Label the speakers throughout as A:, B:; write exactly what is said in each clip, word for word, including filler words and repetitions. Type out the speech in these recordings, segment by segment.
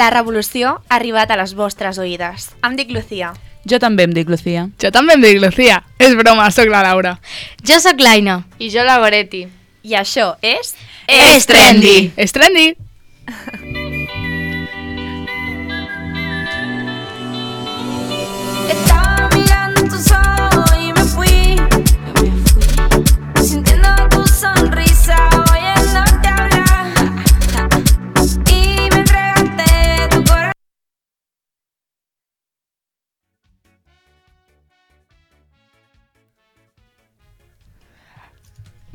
A: La revolució ha arribat a les vostres oïdes. Em dic Lucía.
B: Jo també em dic Lucía.
C: Jo també em dic Lucía. És broma, sóc la Laura.
D: Jo sóc l'Aina.
E: I jo la Goretti.
A: I això és...
D: És trendy!
C: És trendy!
F: Estaba mirando tus ojos y me fui, sintiendo tu sonrisa, oyéndote hablar, y me entregaste tu corazón.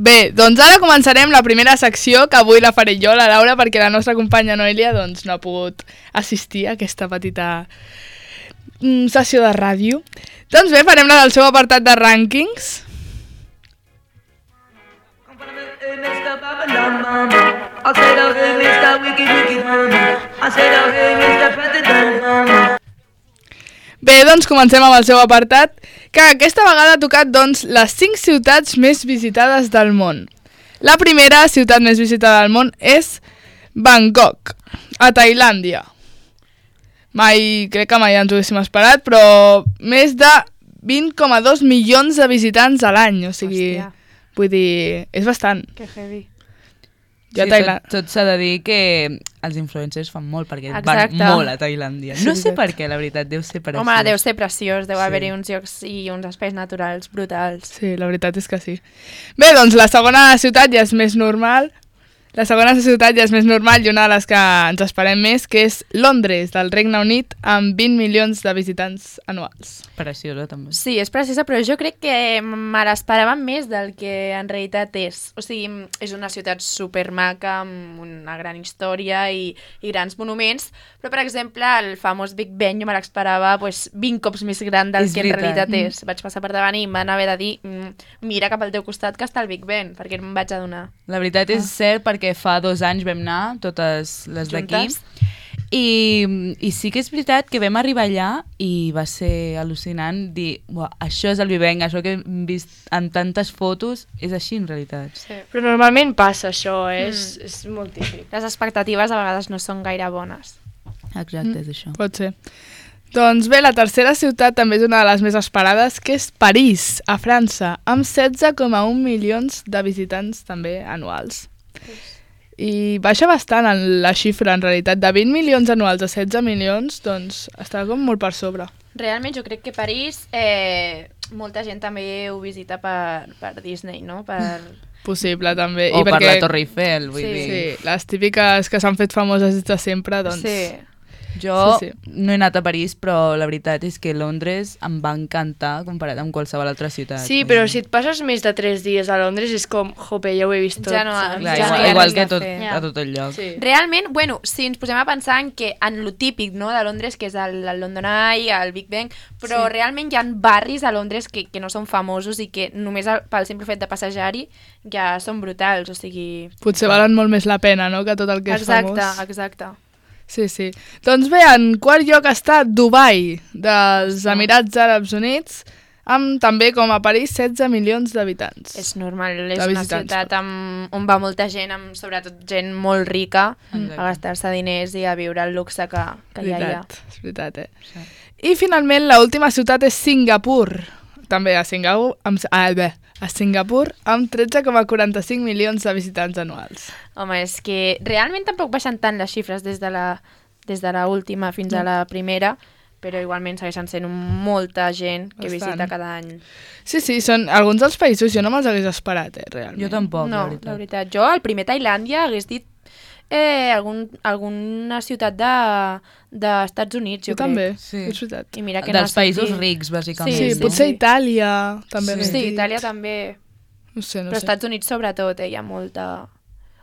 C: Bé, doncs ara començarem la primera secció, que avui la faré jo, la Laura, perquè la nostra companya Noelia doncs, no ha pogut assistir a aquesta petita mm, sessió de ràdio. Doncs bé, farem la del seu apartat de rànquings. Bé, doncs comencem amb el seu apartat, que aquesta vegada ha tocat doncs, les cinc ciutats més visitades del món. La primera ciutat més visitada del món és Bangkok, a Tailàndia. Mai, crec que mai ens ho haguéssim esperat, però més de vint coma dos milions de visitants a l'any, o sigui,
A: Hòstia.
C: Vull dir, és bastant.
A: Que heavy.
C: Jo
B: Sí,
C: a Tailàndia...
B: tot tot s'ha de dir que els influencers fan molt, perquè
A: Exacte.
B: van molt a Tailàndia. No sé per què, la veritat, deu ser preciós.
A: Home, deu ser preciós, deu
B: Sí.
A: haver-hi uns llocs i uns espais naturals brutals.
C: Sí, la veritat és que sí. Bé, doncs la segona ciutat ja és més normal. La segona ciutat ja és més normal i una de les que ens esperem més, que és Londres, del Regne Unit, amb vint milions de visitants anuals.
B: Preciosa, també.
A: Sí, és preciosa, però jo crec que me l'esperava més del que en realitat és. O sigui, és una ciutat supermaca, amb una gran història i, i grans monuments, però, per exemple, el famós Big Ben jo me l'esperava pues, vint cops més gran del
B: És
A: que en
B: veritat.
A: realitat és. Vaig passar per davant i em van haver de dir mm, mira cap al teu costat que està el Big Ben, perquè no em vaig adonar.
B: La veritat és cert, perquè fa dos anys vam anar, totes les d'aquí,
A: Juntes?
B: i, i sí que és veritat que vam arribar allà i va ser al·lucinant dir, uah, això és el Vivenc, això que hem vist en tantes fotos, és així en realitat.
A: Sí.
E: Però normalment passa això, eh? és, és molt típic.
A: Les expectatives a vegades no són gaire bones.
B: Exacte, és això.
C: Pot ser. Doncs bé, la tercera ciutat també és una de les més esperades, que és París, a França, amb setze coma un milions de visitants també anuals. I baixa bastant en la xifra, en realitat, de vint milions anuals a setze milions, doncs està com molt per sobre.
A: Realment jo crec que París, eh, molta gent també ho visita per, per Disney, no? Per...
C: Possible, també.
B: O
C: I
B: per
C: perquè,
B: la Torre Eiffel, vull
A: Sí.
B: dir.
C: Sí, les típiques que s'han fet famoses des de sempre, doncs...
A: Sí.
B: Jo
C: Sí,
B: no he anat a París, però la veritat és que Londres em va encantar comparat amb qualsevol altra ciutat.
E: Sí, però si et passes més de tres dies a Londres és com, jope, ja ho he vist tot.
A: Ja no-
E: saps?
B: Clar,
A: ja
B: igual,
A: no hi ha
B: igual
A: res
B: que
A: a
B: tot,
A: fer.
B: a tot el lloc.
E: Sí.
A: Realment, bueno, si ens posem a pensar en que en lo típic, no?, de Londres, que és el, el London Eye, el Big Ben, però
E: Sí.
A: realment hi ha barris a Londres que, que no són famosos i que només el, pel simple fet de passejar-hi ja són brutals, o sigui...
C: Potser valen molt més la pena, no?, que tot el que és
A: Exacte,
C: famós.
A: exacte.
C: Sí, sí. Doncs bé, en quart lloc està Dubai, dels Emirats Àrabs Units, amb també, com a París, setze milions d'habitants.
A: És normal, és
C: De
A: una
C: visitants,
A: ciutat amb, on va molta gent, amb, sobretot gent molt rica,
B: Exacte.
A: a gastar-se diners i a viure el luxe que, que hi ha allà.
C: veritat, és veritat, eh? Sí. I finalment, l'última ciutat és Singapur, també a Singapur, amb, ah, bé, a Singapur, amb tretze coma quaranta-cinc milions de visitants anuals.
A: Home, és que realment tampoc baixen tant les xifres des de la, des de la última fins a la primera, però igualment segueixen sent molta gent que
C: Bastant.
A: visita cada any.
C: Sí, sí, són alguns dels països, jo no me'ls hagués esperat, eh, realment.
B: Jo tampoc,
A: No,
B: la veritat.
A: la veritat. Jo, al primer Tailàndia, hagués dit eh, algun, alguna ciutat de d'Estats Units, jo,
C: Jo també,
B: Sí.
C: és veritat.
A: crec. I mira que no
B: Dels
A: ha
B: països
A: sentit.
B: rics, bàsicament.
C: Sí,
A: sí,
C: potser
A: sí.
C: Itàlia, també.
B: Sí.
C: hagués
A: Sí,
C: dit.
A: Itàlia també.
C: No sé, no
A: Però
C: sé.
A: Estats Units sobretot, eh, hi ha molta...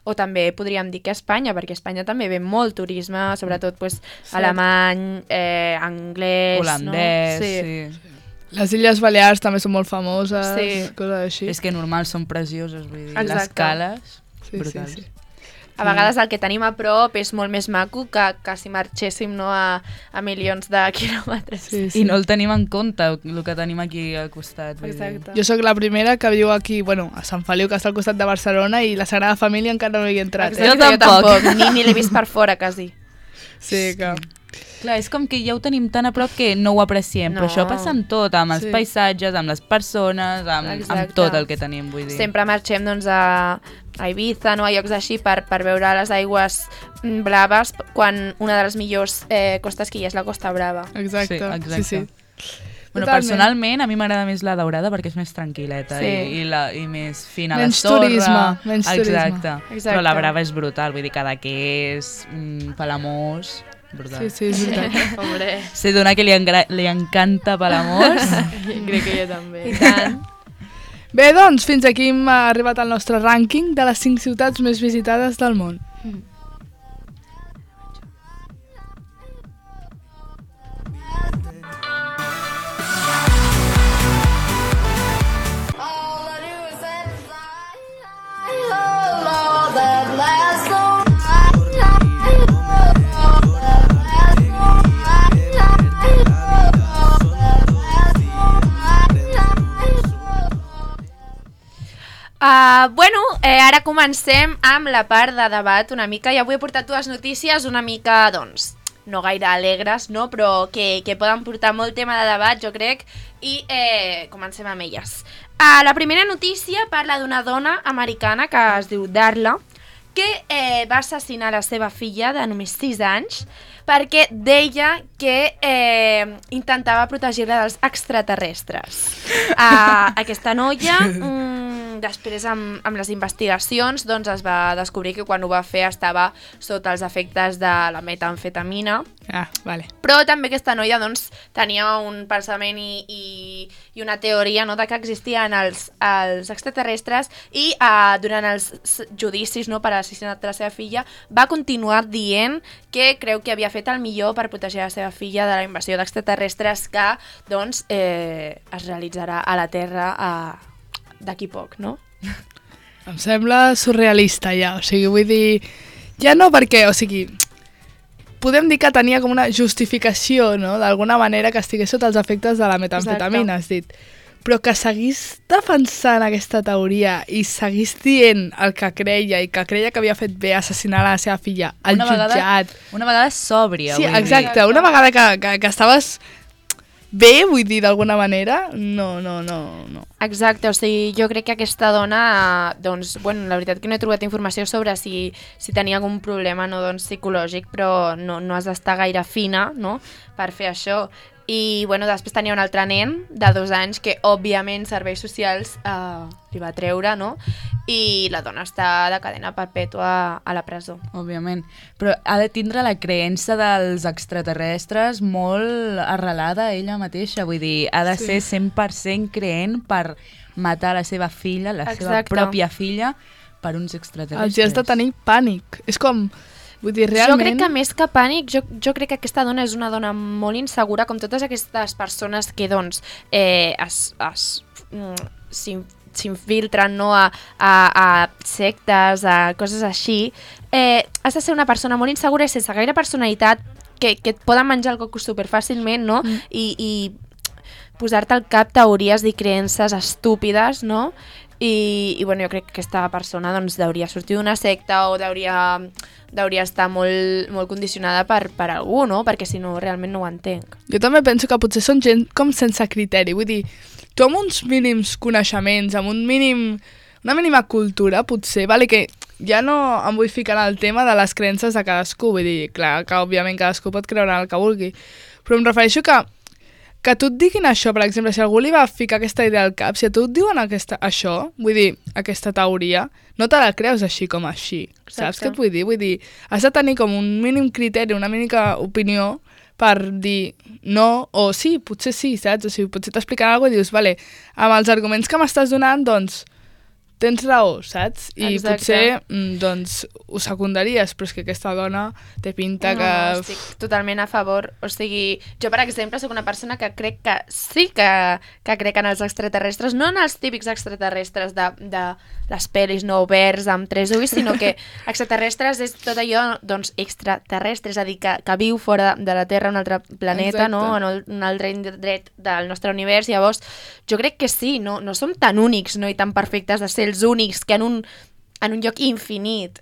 A: O també podríem dir que Espanya, perquè a Espanya també ve molt turisme, sobretot pues, alemany, eh, anglès,
B: Holandès,
A: no?
B: sí.
C: Les Illes Balears també són molt famoses,
A: Sí.
C: coses així.
B: És que normal són precioses, vull dir,
A: Exacte.
B: les cales,
C: Sí,
B: brutals.
C: sí, sí.
A: A vegades el que tenim a prop és molt més maco que, que si marxéssim no, a, a milions de quilòmetres.
C: Sí, sí.
B: I no el tenim en compte, el que tenim aquí al costat. vull dir.
A: Exacte.
C: Jo sóc la primera que viu aquí, bueno, a Sant Feliu, que està al costat de Barcelona, i la Sagrada Família encara no hi he entrat.
A: Exacte,
C: Eh?
B: Jo tampoc.
A: Ni, ni l'he vist per fora, quasi.
C: Sí, que...
B: Clar, és com que ja ho tenim tan a prop que no ho apreciem,
A: No.
B: però això passa amb tot, amb els
C: Sí.
B: paisatges, amb les persones, amb, amb
A: Exacte.
B: tot el que tenim, vull dir.
A: Sempre marxem doncs, a, a Ibiza, no? A llocs així per, per veure les aigües mm, blaves, quan una de les millors eh, costes que hi ha és la Costa Brava.
C: Exacte,
B: Sí, exacte.
C: sí, sí.
B: Bueno,
C: Totalment.
B: personalment, a mi m'agrada més la daurada perquè és més tranquil·leta
A: Sí.
B: i, i, la, i més fina
C: Menys
B: la sorra.
C: turisme, menys turisme.
B: Exacte.
A: Exacte.
B: Però la Brava és brutal, vull dir, Cadaqués, mm, Palamós, brutal.
C: Sí, sí, és veritat.
E: Hombre,
B: Sé d'una que li, engra- li encanta Palamós.
E: crec que jo també.
A: I tant.
C: Bé, doncs, fins aquí hem arribat al nostre rànquing de les cinc ciutats més visitades del món.
A: Uh, bueno, eh, ara comencem amb la part de debat una mica. I avui he portat dues notícies una mica, doncs, no gaire alegres, no? Però que, que poden portar molt tema de debat, jo crec, i eh, comencem amb elles. Uh, la primera notícia parla d'una dona americana que es diu Darla, que eh, va assassinar la seva filla de només sis anys perquè deia que eh, intentava protegir-la dels extraterrestres. Uh, aquesta noia, mm, després amb, amb les investigacions, doncs es va descobrir que quan ho va fer estava sota els efectes de la metamfetamina,
C: Ah, vale.
A: però també aquesta noia doncs, tenia un pensament i, i, i una teoria, no, de que existien els, els extraterrestres i uh, durant els s- judicis, no, per assassinat de la seva filla va continuar dient que creu que havia fet el millor per protegir la seva filla de la invasió d'extraterrestres que doncs, eh, es realitzarà a la Terra uh, d'aquí poc, no?
C: Em sembla surrealista ja, o sigui, vull dir... Ja no perquè, o sigui... Podem dir que tenia com una justificació, no?, d'alguna manera que estigués sota els efectes de la metamfetamina, has dit. Però que seguís defensant aquesta teoria i seguís dient el que creia i que creia que havia fet bé assassinar la seva filla al
B: Una vegada-
C: jutjat.
B: Una vegada sòbria,
C: Sí,
B: vull dir.
C: exacte. Una vegada que, que, que estaves bé, vull dir, d'alguna manera, no, no, no, no.
A: Exacte, o sigui, jo crec que aquesta dona, eh, doncs, bueno, la veritat que no he trobat informació sobre si, si tenia algun problema, no, doncs, psicològic, però no, no has d'estar gaire fina, no?, per fer això. I, bueno, després tenia un altre nen de dos anys que, òbviament, serveis socials eh, li va treure, no?, i la dona està de cadena perpètua a la presó.
B: Òbviament. Però ha de tindre la creença dels extraterrestres molt arrelada a ella mateixa. Vull dir, ha de
C: Sí.
B: ser cent per cent creent per matar la seva filla, la seva
A: Exacte.
B: pròpia filla, per uns extraterrestres.
C: Els has de tenir pànic. És com... Vull dir, realment...
A: Jo crec que més que pànic, jo, jo crec que aquesta dona és una dona molt insegura, com totes aquestes persones que, doncs, eh, es, es, mm, s'in- s'infiltren, no?, a, a, a sectes, a coses així. Eh, has de ser una persona molt insegura i sense gaire personalitat, que, que et poden menjar el coco superfàcilment, no?,
C: Mm.
A: i, i posar-te al cap teories i creences estúpides, no?, i, i bueno, jo crec que aquesta persona doncs, hauria sortir d'una secta o hauria, hauria estar molt, molt condicionada per, per algú, no? Perquè si no, realment no ho entenc.
C: Jo també penso que potser són gent com sense criteri. Vull dir, tu amb uns mínims coneixements, amb un mínim, una mínima cultura, potser, vale, que ja no em vull ficar en el tema de les creences de cadascú. Vull dir, clar, que òbviament cadascú pot creure en el que vulgui. Però em refereixo que que tu et diguin això, per exemple, si algú li va ficar aquesta idea al cap, si a tu et diuen aquesta, això, vull dir, aquesta teoria, no te la creus així com així.
A: Exacte.
C: Saps què et vull dir? Vull dir, has de tenir com un mínim criteri, una mínima opinió per dir no o sí, potser sí, saps? O sigui, potser t'expliquen alguna cosa i dius, vale, amb els arguments que m'estàs donant, doncs, tens raó, saps? I
A: Exacte.
C: potser, mm, doncs, ho secundaries, però és que aquesta dona té pinta
A: No,
C: que...
A: no, estic totalment a favor. O sigui, jo, per exemple, sóc una persona que crec que sí que, que crec en els extraterrestres, no en els típics extraterrestres de, de les pel·lis no oberts amb tres ulls, sinó que extraterrestres és tot allò, doncs, extraterrestre, és a dir, que, que viu fora de la Terra, un altre planeta,
C: Exacte.
A: no?, en el, un altre indret del nostre univers. Llavors, jo crec que sí, no, no som tan únics, no?, i tan perfectes de ser els únics que en un, en un lloc infinit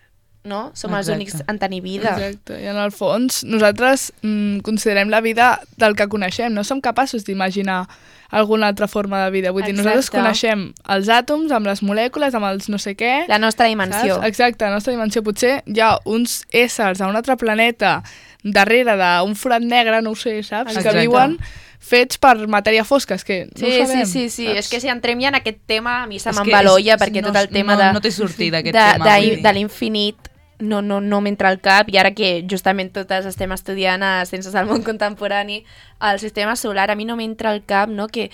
A: no? Som els
B: Exacte.
A: únics en tenir vida.
C: Exacte, i en el fons nosaltres mm, considerem la vida del que coneixem, no som capaços d'imaginar alguna altra forma de vida. Vull dir, nosaltres
A: Exacte.
C: coneixem els àtoms amb les molècules, amb els no sé què...
A: La nostra dimensió.
C: Saps? Exacte, la nostra dimensió. Potser hi ha uns éssers a un altre planeta darrere d'un forat negre, no ho sé, saps?
B: Exacte.
C: Que viuen fets per matèria fosca, és que no
A: Sí,
C: ho sabem.
A: sí, sí, sí.
C: saps?
A: És que si entrem ja en aquest tema, a mi se
B: És que
A: m'embaloia,
B: és-
A: perquè
B: no-
A: tot el tema
B: no-
A: de,
B: no té sortida, aquest
A: de,
B: tema,
A: de,
B: vull dir.
A: de l'infinit no, no, no m'entra al cap, i ara que justament totes estem estudiant a Ciències del Món Contemporani el sistema solar, a mi no m'entra al cap, no?, que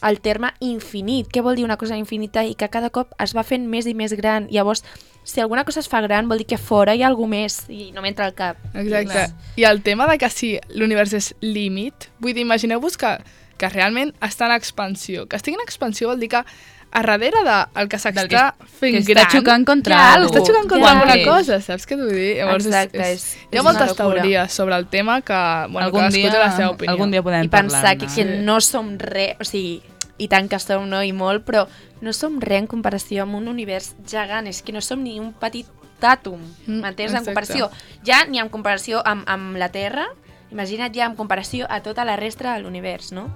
A: el terme infinit, què vol dir una cosa infinita i que cada cop es va fent més i més gran. Llavors, si alguna cosa es fa gran vol dir que fora hi ha alguna més i no m'entra al cap.
C: Exacte. I el tema de que si l'univers és límit, vull dir, imagineu-vos que, que realment està en expansió. Que estigui en expansió vol dir que a darrere del que s'està fent
B: que està
C: gran...
B: xocant contra
C: hi ha
B: algú.
C: Està xocant contra
A: Ja.
C: alguna
B: Sí.
C: cosa, saps què t'ho dir? Llavors,
A: Exacte,
C: és,
A: és-
C: hi ha
A: és
C: moltes
A: una locura.
C: teories sobre el tema que, bueno,
B: algun,
C: cadascú
B: dia,
C: té la seva opinió.
B: algun dia podem
A: I pensar que,
B: parlar-ne.
A: que no som res, o sigui, i tant que som, no? I molt, però no som res en comparació amb un univers gegant, és que no som ni un petit àtom,
C: Mm,
A: m'entens? En
C: exacte.
A: comparació, ja ni en comparació amb, amb la Terra, imagina't ja en comparació a tota la resta de l'univers, no?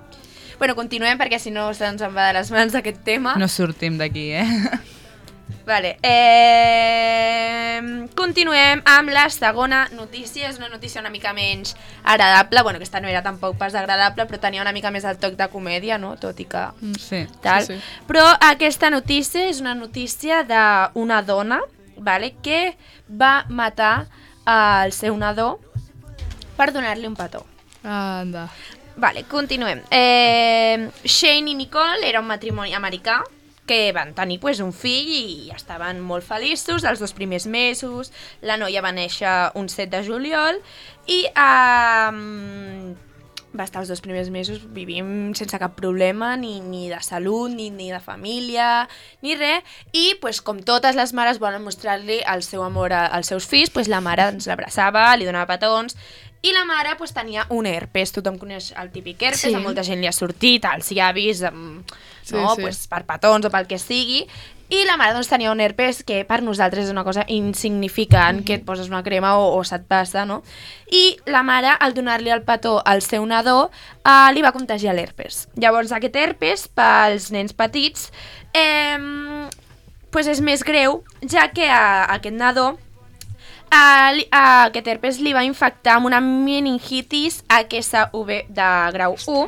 A: Bueno, continuem perquè si no se'ns en va de les mans aquest tema.
B: No sortim d'aquí, eh?
A: Vale, eh... continuem amb la segona notícia. És una notícia una mica menys agradable. Bueno, aquesta no era tampoc pas agradable, però tenia una mica més el toc de comèdia, no? Tot i que...
B: Sí.
A: Tal.
C: Sí, sí.
A: Però aquesta notícia és una notícia d'una dona, vale, que va matar el seu nadó per donar-li un petó.
C: Anda.
A: Vale, continuem. Eh, Shane i Nicole era un matrimoni americà que van tenir pues, un fill i estaven molt feliços els dos primers mesos. La noia va néixer un set de juliol i eh, va estar els dos primers mesos vivint sense cap problema, ni, ni de salut, ni, ni de família, ni res. I pues, com totes les mares volen mostrar-li el seu amor a- als seus fills, pues, la mare ens l'abraçava, li donava petons. I la mare pues, tenia un herpes, tothom coneix el típic herpes,
E: Sí.
A: a molta gent li ha sortit, als llavis, amb,
C: Sí,
A: no?
C: sí.
A: Pues, per petons o pel que sigui. I la mare doncs, tenia un herpes que per nosaltres és una cosa insignificant, mm -hmm. que et poses una crema o, o se't passa, no? I la mare, al donar-li el petó al seu nadó, eh, li va contagiar l'herpes. Llavors, aquest herpes, pels nens petits, eh, pues és més greu, ja que a, a aquest nadó Uh, li, uh, aquest herpes li va infectar amb una meningitis H S V de grau u,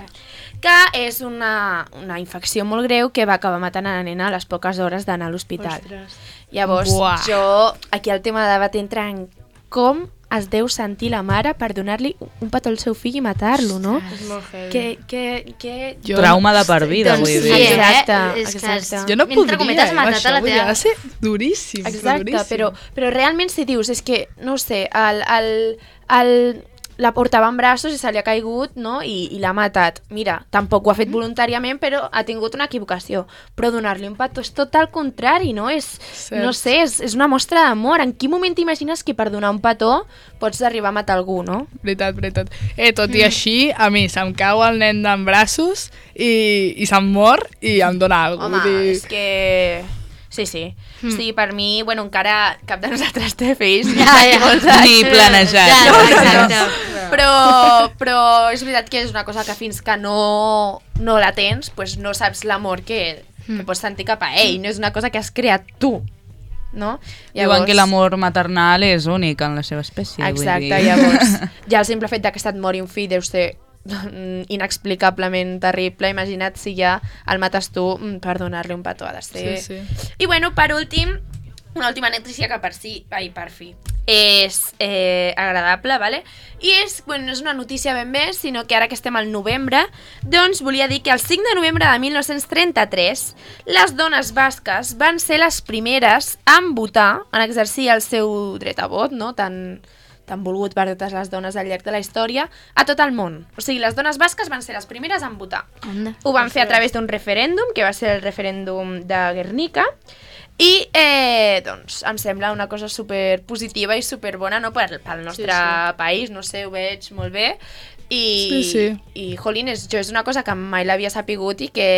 A: que és una, una infecció molt greu que va acabar matant a la nena a les poques hores d'anar a l'hospital.
E: Ostres.
A: Llavors,
C: Buah.
A: jo, aquí el tema de debat entra en com es deu sentir la mare per donar-li un petó al seu fill i matar-lo, no?
E: És molt heavy.
A: Que, que, que...
C: Jo
B: Trauma de per vida,
D: Doncs
B: vull
D: sí,
B: dir.
A: Exacte,
D: eh? És que
A: exacte.
D: és-
C: Jo no
D: Mentre
C: podria,
D: cometes,
C: eh,
D: matat
C: això,
D: a la
C: vull dir,
D: teva-
C: ha de ser duríssim,
A: Exacte,
C: duríssim.
A: però, però realment si dius, és que, no ho sé, el, el, el, la portava en braços i se li ha caigut, no?, i, i l'ha matat. Mira, tampoc ho ha fet voluntàriament, però ha tingut una equivocació. Però donar-li un petó és tot el contrari, no? És,
C: Cert.
A: no sé, és, és una mostra d'amor. En quin moment t'imagines que per donar un petó pots arribar a matar algú, no?
C: Veritat, veritat. Eh, tot i així, a mi se'm cau el nen d'en braços i, i se'm mor i em dona alguna
A: Home,
C: cosa. Vull dir...
A: és que... Sí, sí. Mm. Sí, per mi, bueno, encara cap de nosaltres té fills.
D: Ja, ja.
A: molts anys.
B: Ni planejat.
D: Ja,
A: No, no, no.
D: exacte.
A: Però, però és veritat que és una cosa que fins que no, no la tens, pues no saps l'amor que, que pots sentir cap a ell. No és una cosa que has creat tu, no?
B: Diuen que l'amor maternal és únic en la seva espècie.
A: Exacte,
B: vull dir.
A: llavors, ja el simple fet de que se't mori un fill deu ser mm, inexplicablement terrible. Imagina't si ja el mates tu mm, per donar-li un petó, ha de ser...
C: Sí, sí.
A: I bueno, per últim, una última notícia que per si, ai, per fi, és eh, agradable, vale? I és, bueno, no és una notícia ben bé, sinó que ara que estem al novembre, doncs volia dir que el cinc de novembre de mil nou-cents trenta-tres les dones basques van ser les primeres en votar, en exercir el seu dret a vot, no?, tan, tan volgut per totes les dones al llarg de la història, a tot el món. O sigui, les dones basques van ser les primeres en votar.
D: Anda.
A: Ho van fer a través d'un referèndum, que va ser el referèndum de Guernica, i eh, doncs em sembla una cosa super positiva i super bona, no, per, pel nostre
E: Sí, sí.
A: país, no sé, ho veig molt bé. I,
C: Sí, sí.
A: i jolín, és, jo és una cosa que mai l'havia sapigut i que,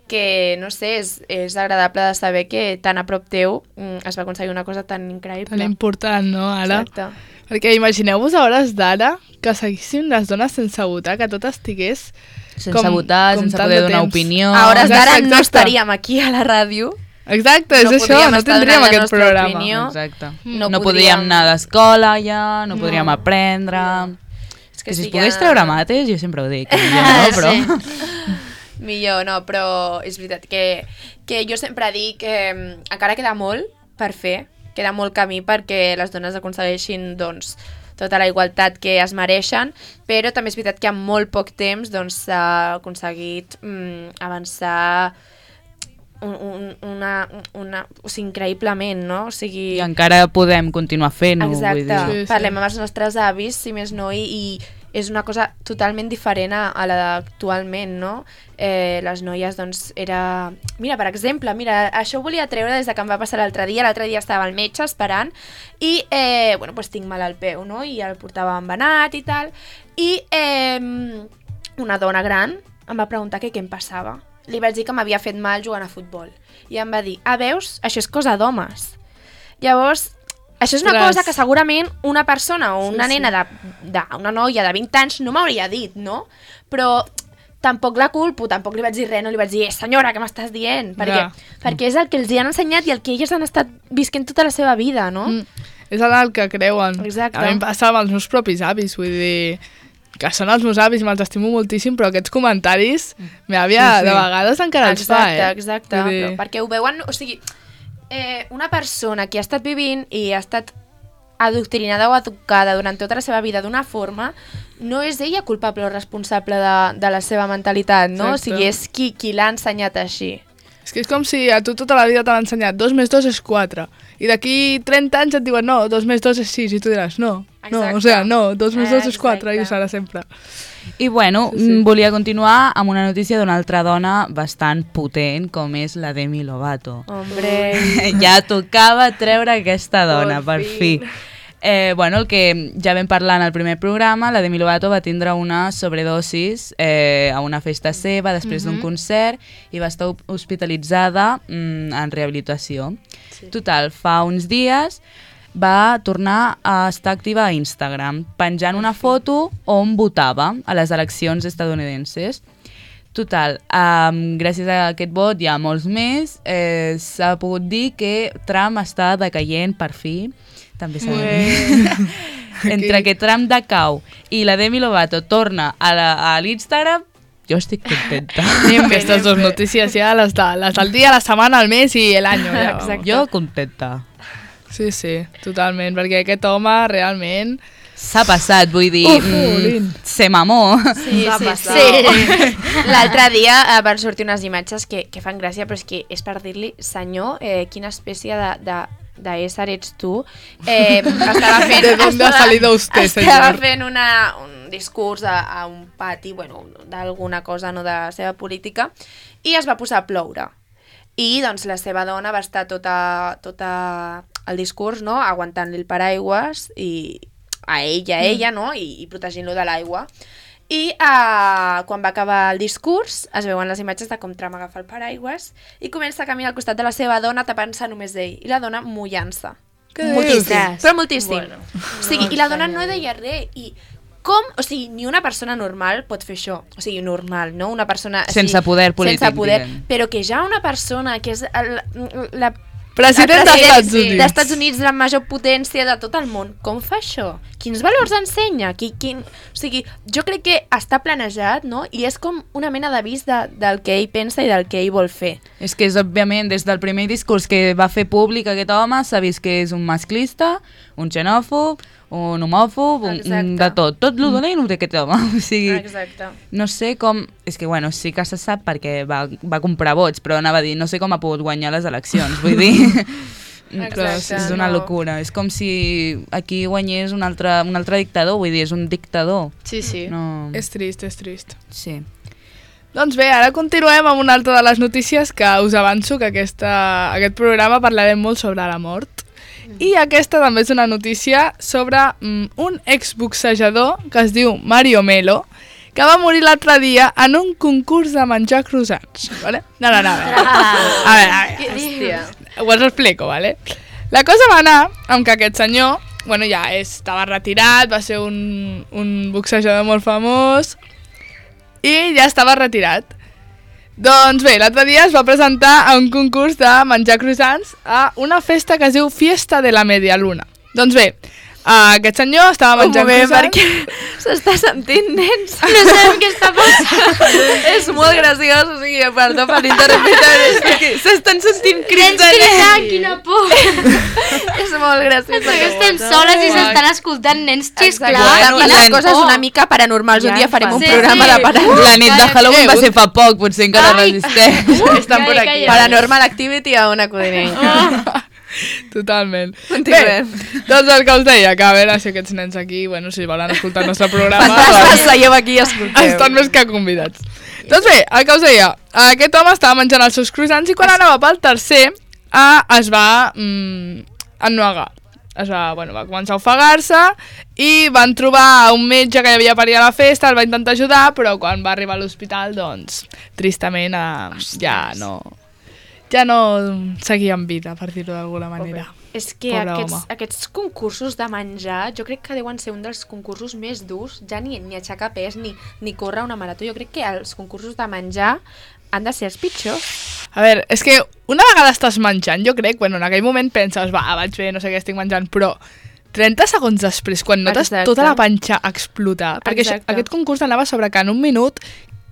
A: que, no sé, és, és agradable de saber que tan a prop teu mm, es va aconseguir una cosa tan increïble.
C: Tan important, no, ara?
A: Exacte.
C: Perquè imagineu-vos a hores d'ara que seguissin les dones sense votar, que tot estigués
B: Sense
C: com,
B: votar,
C: com
B: sense
C: tant
B: poder
C: de
B: donar
C: temps.
B: opinió.
A: A hores d'ara
C: Exacte,
A: no
C: exacte.
A: estaríem aquí a la ràdio.
C: Exacte, és
A: No
C: això,
A: podríem
C: no
A: estar
C: tindríem
A: donant la
C: aquest
A: nostra
C: programa.
A: opinió.
B: Exacte.
A: No
B: No,
A: podríem-
B: podríem anar a l'escola ja, no podríem
A: No.
B: aprendre...
A: És
B: Que si es
A: sí
B: pogués
A: que-
B: treure mates, jo sempre ho dic, millor, no? Però...
A: Millor, no, però és veritat que, que jo sempre dic que mm, encara queda molt per fer, queda molt camí perquè les dones aconsegueixin doncs, tota la igualtat que es mereixen, però també és veritat que en molt poc temps doncs, s'ha aconseguit mm, avançar un, un, una, una, o sigui, increïblement, no? O sigui,
B: I encara podem continuar fent-ho, vull
A: exacte,
B: dir.
C: Sí, sí.
A: parlem amb els nostres avis, si més no, i, i és una cosa totalment diferent a, a la d'actualment, no? Eh, les noies, doncs, era... Mira, per exemple, mira, això ho volia treure des de que em va passar l'altre dia. L'altre dia estava al metge esperant i, eh, bueno, doncs tinc mal al peu, no? I el portava embenat i tal. I eh, una dona gran em va preguntar que què em passava. Li vaig dir que m'havia fet mal jugant a futbol. I em va dir, ah, veus? Això és cosa d'homes. Llavors, això és una
C: Ostres.
A: cosa que segurament una persona o una
C: Sí, sí.
A: nena, de, de, una noia de vint anys no m'hauria dit, no? Però tampoc la culpo, tampoc li vaig dir res, no li vaig dir, eh, senyora, què m'estàs dient? Perquè,
C: Ja.
A: perquè és el que els hi han ensenyat i el que elles han estat visquent tota la seva vida, no?
C: Mm. És el que creuen.
A: Exacte.
C: A mi em passa amb els meus propis avis, vull dir que són els meus avis i me'ls estimo moltíssim, però aquests comentaris meva àvia
B: Sí, sí.
C: de vegades encara els fa,
A: Exacte,
C: eh?
A: exacte,
C: Vull dir-
A: però perquè ho veuen, o sigui, eh, una persona que ha estat vivint i ha estat adoctrinada o educada durant tota la seva vida d'una forma, no és ella culpable o responsable de, de la seva mentalitat, no?
C: Exacte.
A: O sigui, és qui, qui l'ha ensenyat així.
C: És que és com si a tu tota la vida t'han ensenyat dos més dos és quatre, i d'aquí trenta anys et diuen no, dos més dos és sis, i tu diràs no, no,
A: Exacte.
C: o sigui, no, dos més dos és
A: Exacte.
C: quatre, i ho serà sempre.
B: I bueno,
C: Sí, sí.
B: mm, volia continuar amb una notícia d'una altra dona bastant potent, com és la Demi Lovato.
A: Hombre,
B: Ja tocava treure aquesta dona,
A: Por
B: per
A: fin.
B: fi. Eh, bueno, el que ja vam parlar en el primer programa, la Demi Lovato va tindre una sobredosis eh, a una festa seva després d'un concert i va estar hospitalitzada mm, en rehabilitació. Sí. Total, fa uns dies va tornar a estar activa a Instagram, penjant una foto on votava a les eleccions estadounidenses. Total, um, gràcies a aquest vot i a molts més, eh, s'ha pogut dir que Trump està decaient per fi. També s'ha de dir. Entre que Trump decau i la Demi Lovato torna a la- a l'Instagram, jo estic contenta.
C: Aquestes dues notícies ja, les, de, les del dia, la setmana, el mes i l'any. Ja,
A: Exacte.
B: Jo contenta.
C: Sí, sí, totalment, perquè aquest home realment...
B: S'ha passat, vull dir,
C: Uf,
B: mm,
C: Olin.
B: se mamó.
A: sí,
E: Va
A: sí,
E: passar.
A: sí. L'altre dia eh, van sortir unes imatges que, que fan gràcia, però és que és per dir-li, senyor, eh, quina espècie de... de d'ésser ets tu, eh, estava fent...
C: ¿De dónde ha
A: estava-
C: salido usted,
A: Estava
C: señor?
A: fent una, un discurs a, a un pati, bueno, d'alguna cosa, no de la seva política, i es va posar a ploure. I, doncs, la seva dona va estar tota, tota el discurs, no?, aguantant-li el paraigües i a ell i a ella, no?, i, i protegint-lo de l'aigua. I uh, quan va acabar el discurs es veuen les imatges de com Trump agafa el paraigües i comença a caminar al costat de la seva dona tapant-se només d'ell i la dona mullant-se.
C: Què
A: Moltíssim,
E: dius?
A: però moltíssim.
E: Bueno.
A: O sigui, i la dona no deia res i com, o sigui, ni una persona normal pot fer això. O sigui, normal, no? Una persona... o
B: Sense
A: sigui,
B: poder polític,
A: Sense poder,
B: diguem.
A: però que ja una persona que és el, la...
C: President
A: el
C: dels Estats
A: sí,
C: Units.
A: d'Estats Units, la major potència de tot el món. Com fa això? Quins valors ensenya? Qui, quin... O sigui, jo crec que està planejat, no? I és com una mena d'avís de, del que ell pensa i del que ell vol fer.
B: És que és, òbviament, des del primer discurs que va fer públic aquest home, s'ha vist que és un masclista, un xenòfob, un homòfob, un, un
A: Exacte.
B: de tot. Tot lo dolent ho té aquest home. O sigui,
A: Exacte.
B: no sé com... És que, bueno, sí que se sap perquè va, va comprar vots, però anava a dir, no sé com ha pogut guanyar les eleccions, vull dir...
A: Exacte,
B: és una
A: no.
B: locura. És com si aquí guanyés un altre, un altre dictador, vull dir, és un dictador.
E: Sí, sí.
B: No...
C: És trist, és trist.
B: Sí.
C: Doncs bé, ara continuem amb una altra de les notícies que us avanço que aquesta, aquest programa parlarem molt sobre la mort. I aquesta també és una notícia sobre mm, un exboxejador que es diu Mario Melo, que va morir l'altre dia en un concurs de menjar croissants, ¿vale? No, no, no, a veure. A veure, a veure.
A: Hòstia.
C: Us ho explico, ¿vale? La cosa va anar amb que aquest senyor, bueno, ja estava retirat, va ser un, un boxejador molt famós i ja estava retirat. Doncs bé, l'altre dia es va presentar a un concurs de menjar croissants a una festa que es diu Fiesta de la Media Luna. Doncs bé, aquest senyor estava menjant
A: Un moment,
C: croissants...
A: perquè s'està sentint, nens.
D: No sabem què està passant.
A: És molt graciós, o sigui, perdó per l'interromper, és que s'estan sentint crits
D: Nens
A: de nens.
D: cridant, quina por.
A: És molt graciós.
D: Perquè estem soles i s'estan escoltant nens xisclar.
A: Exacte,
B: Bueno,
A: les
B: la-
A: coses
D: oh.
A: una mica paranormals. Un
E: Ja
A: dia farem un
D: sí,
A: programa
D: sí.
A: de paranormal.
B: La nit de Halloween va ser fa poc, potser encara
D: Ai.
B: resisteix.
C: Estan per
D: Calla,
C: aquí.
D: calla.
A: Paranormal Activity a una codinent.
C: Totalment.
A: Continuem.
C: Bé, doncs el que us deia, que a veure si aquests nens aquí, bueno, si volen escoltar el nostre programa,
A: Fantasmes, seieu aquí i escolteu.
C: estan més que convidats. Doncs bé, el que us deia, aquest home estava menjant els seus croissants i quan anava pel tercer eh, es va mm, ennuegar. Es va, bueno, va començar a ofegar-se i van trobar un metge que hi havia per allà a la festa, el va intentar ajudar, però quan va arribar a l'hospital, doncs, tristament eh, ja no... ja no seguia en vida, per dir-ho d'alguna manera.
A: És que
C: Pobre
A: aquests,
C: home.
A: aquests concursos de menjar, jo crec que deuen ser un dels concursos més durs, ja ni, ni aixecar pes ni, ni córrer una marató. Jo crec que els concursos de menjar han de ser els pitjors.
C: A veure, és que una vegada estàs menjant, jo crec, bueno, en aquell moment penses, va, vaig bé, no sé què estic menjant, però trenta segons després, quan notes
A: Exacte.
C: tota la panxa explotar, perquè això,
A: Exacte.
C: aquest concurs anava sobre que en un minut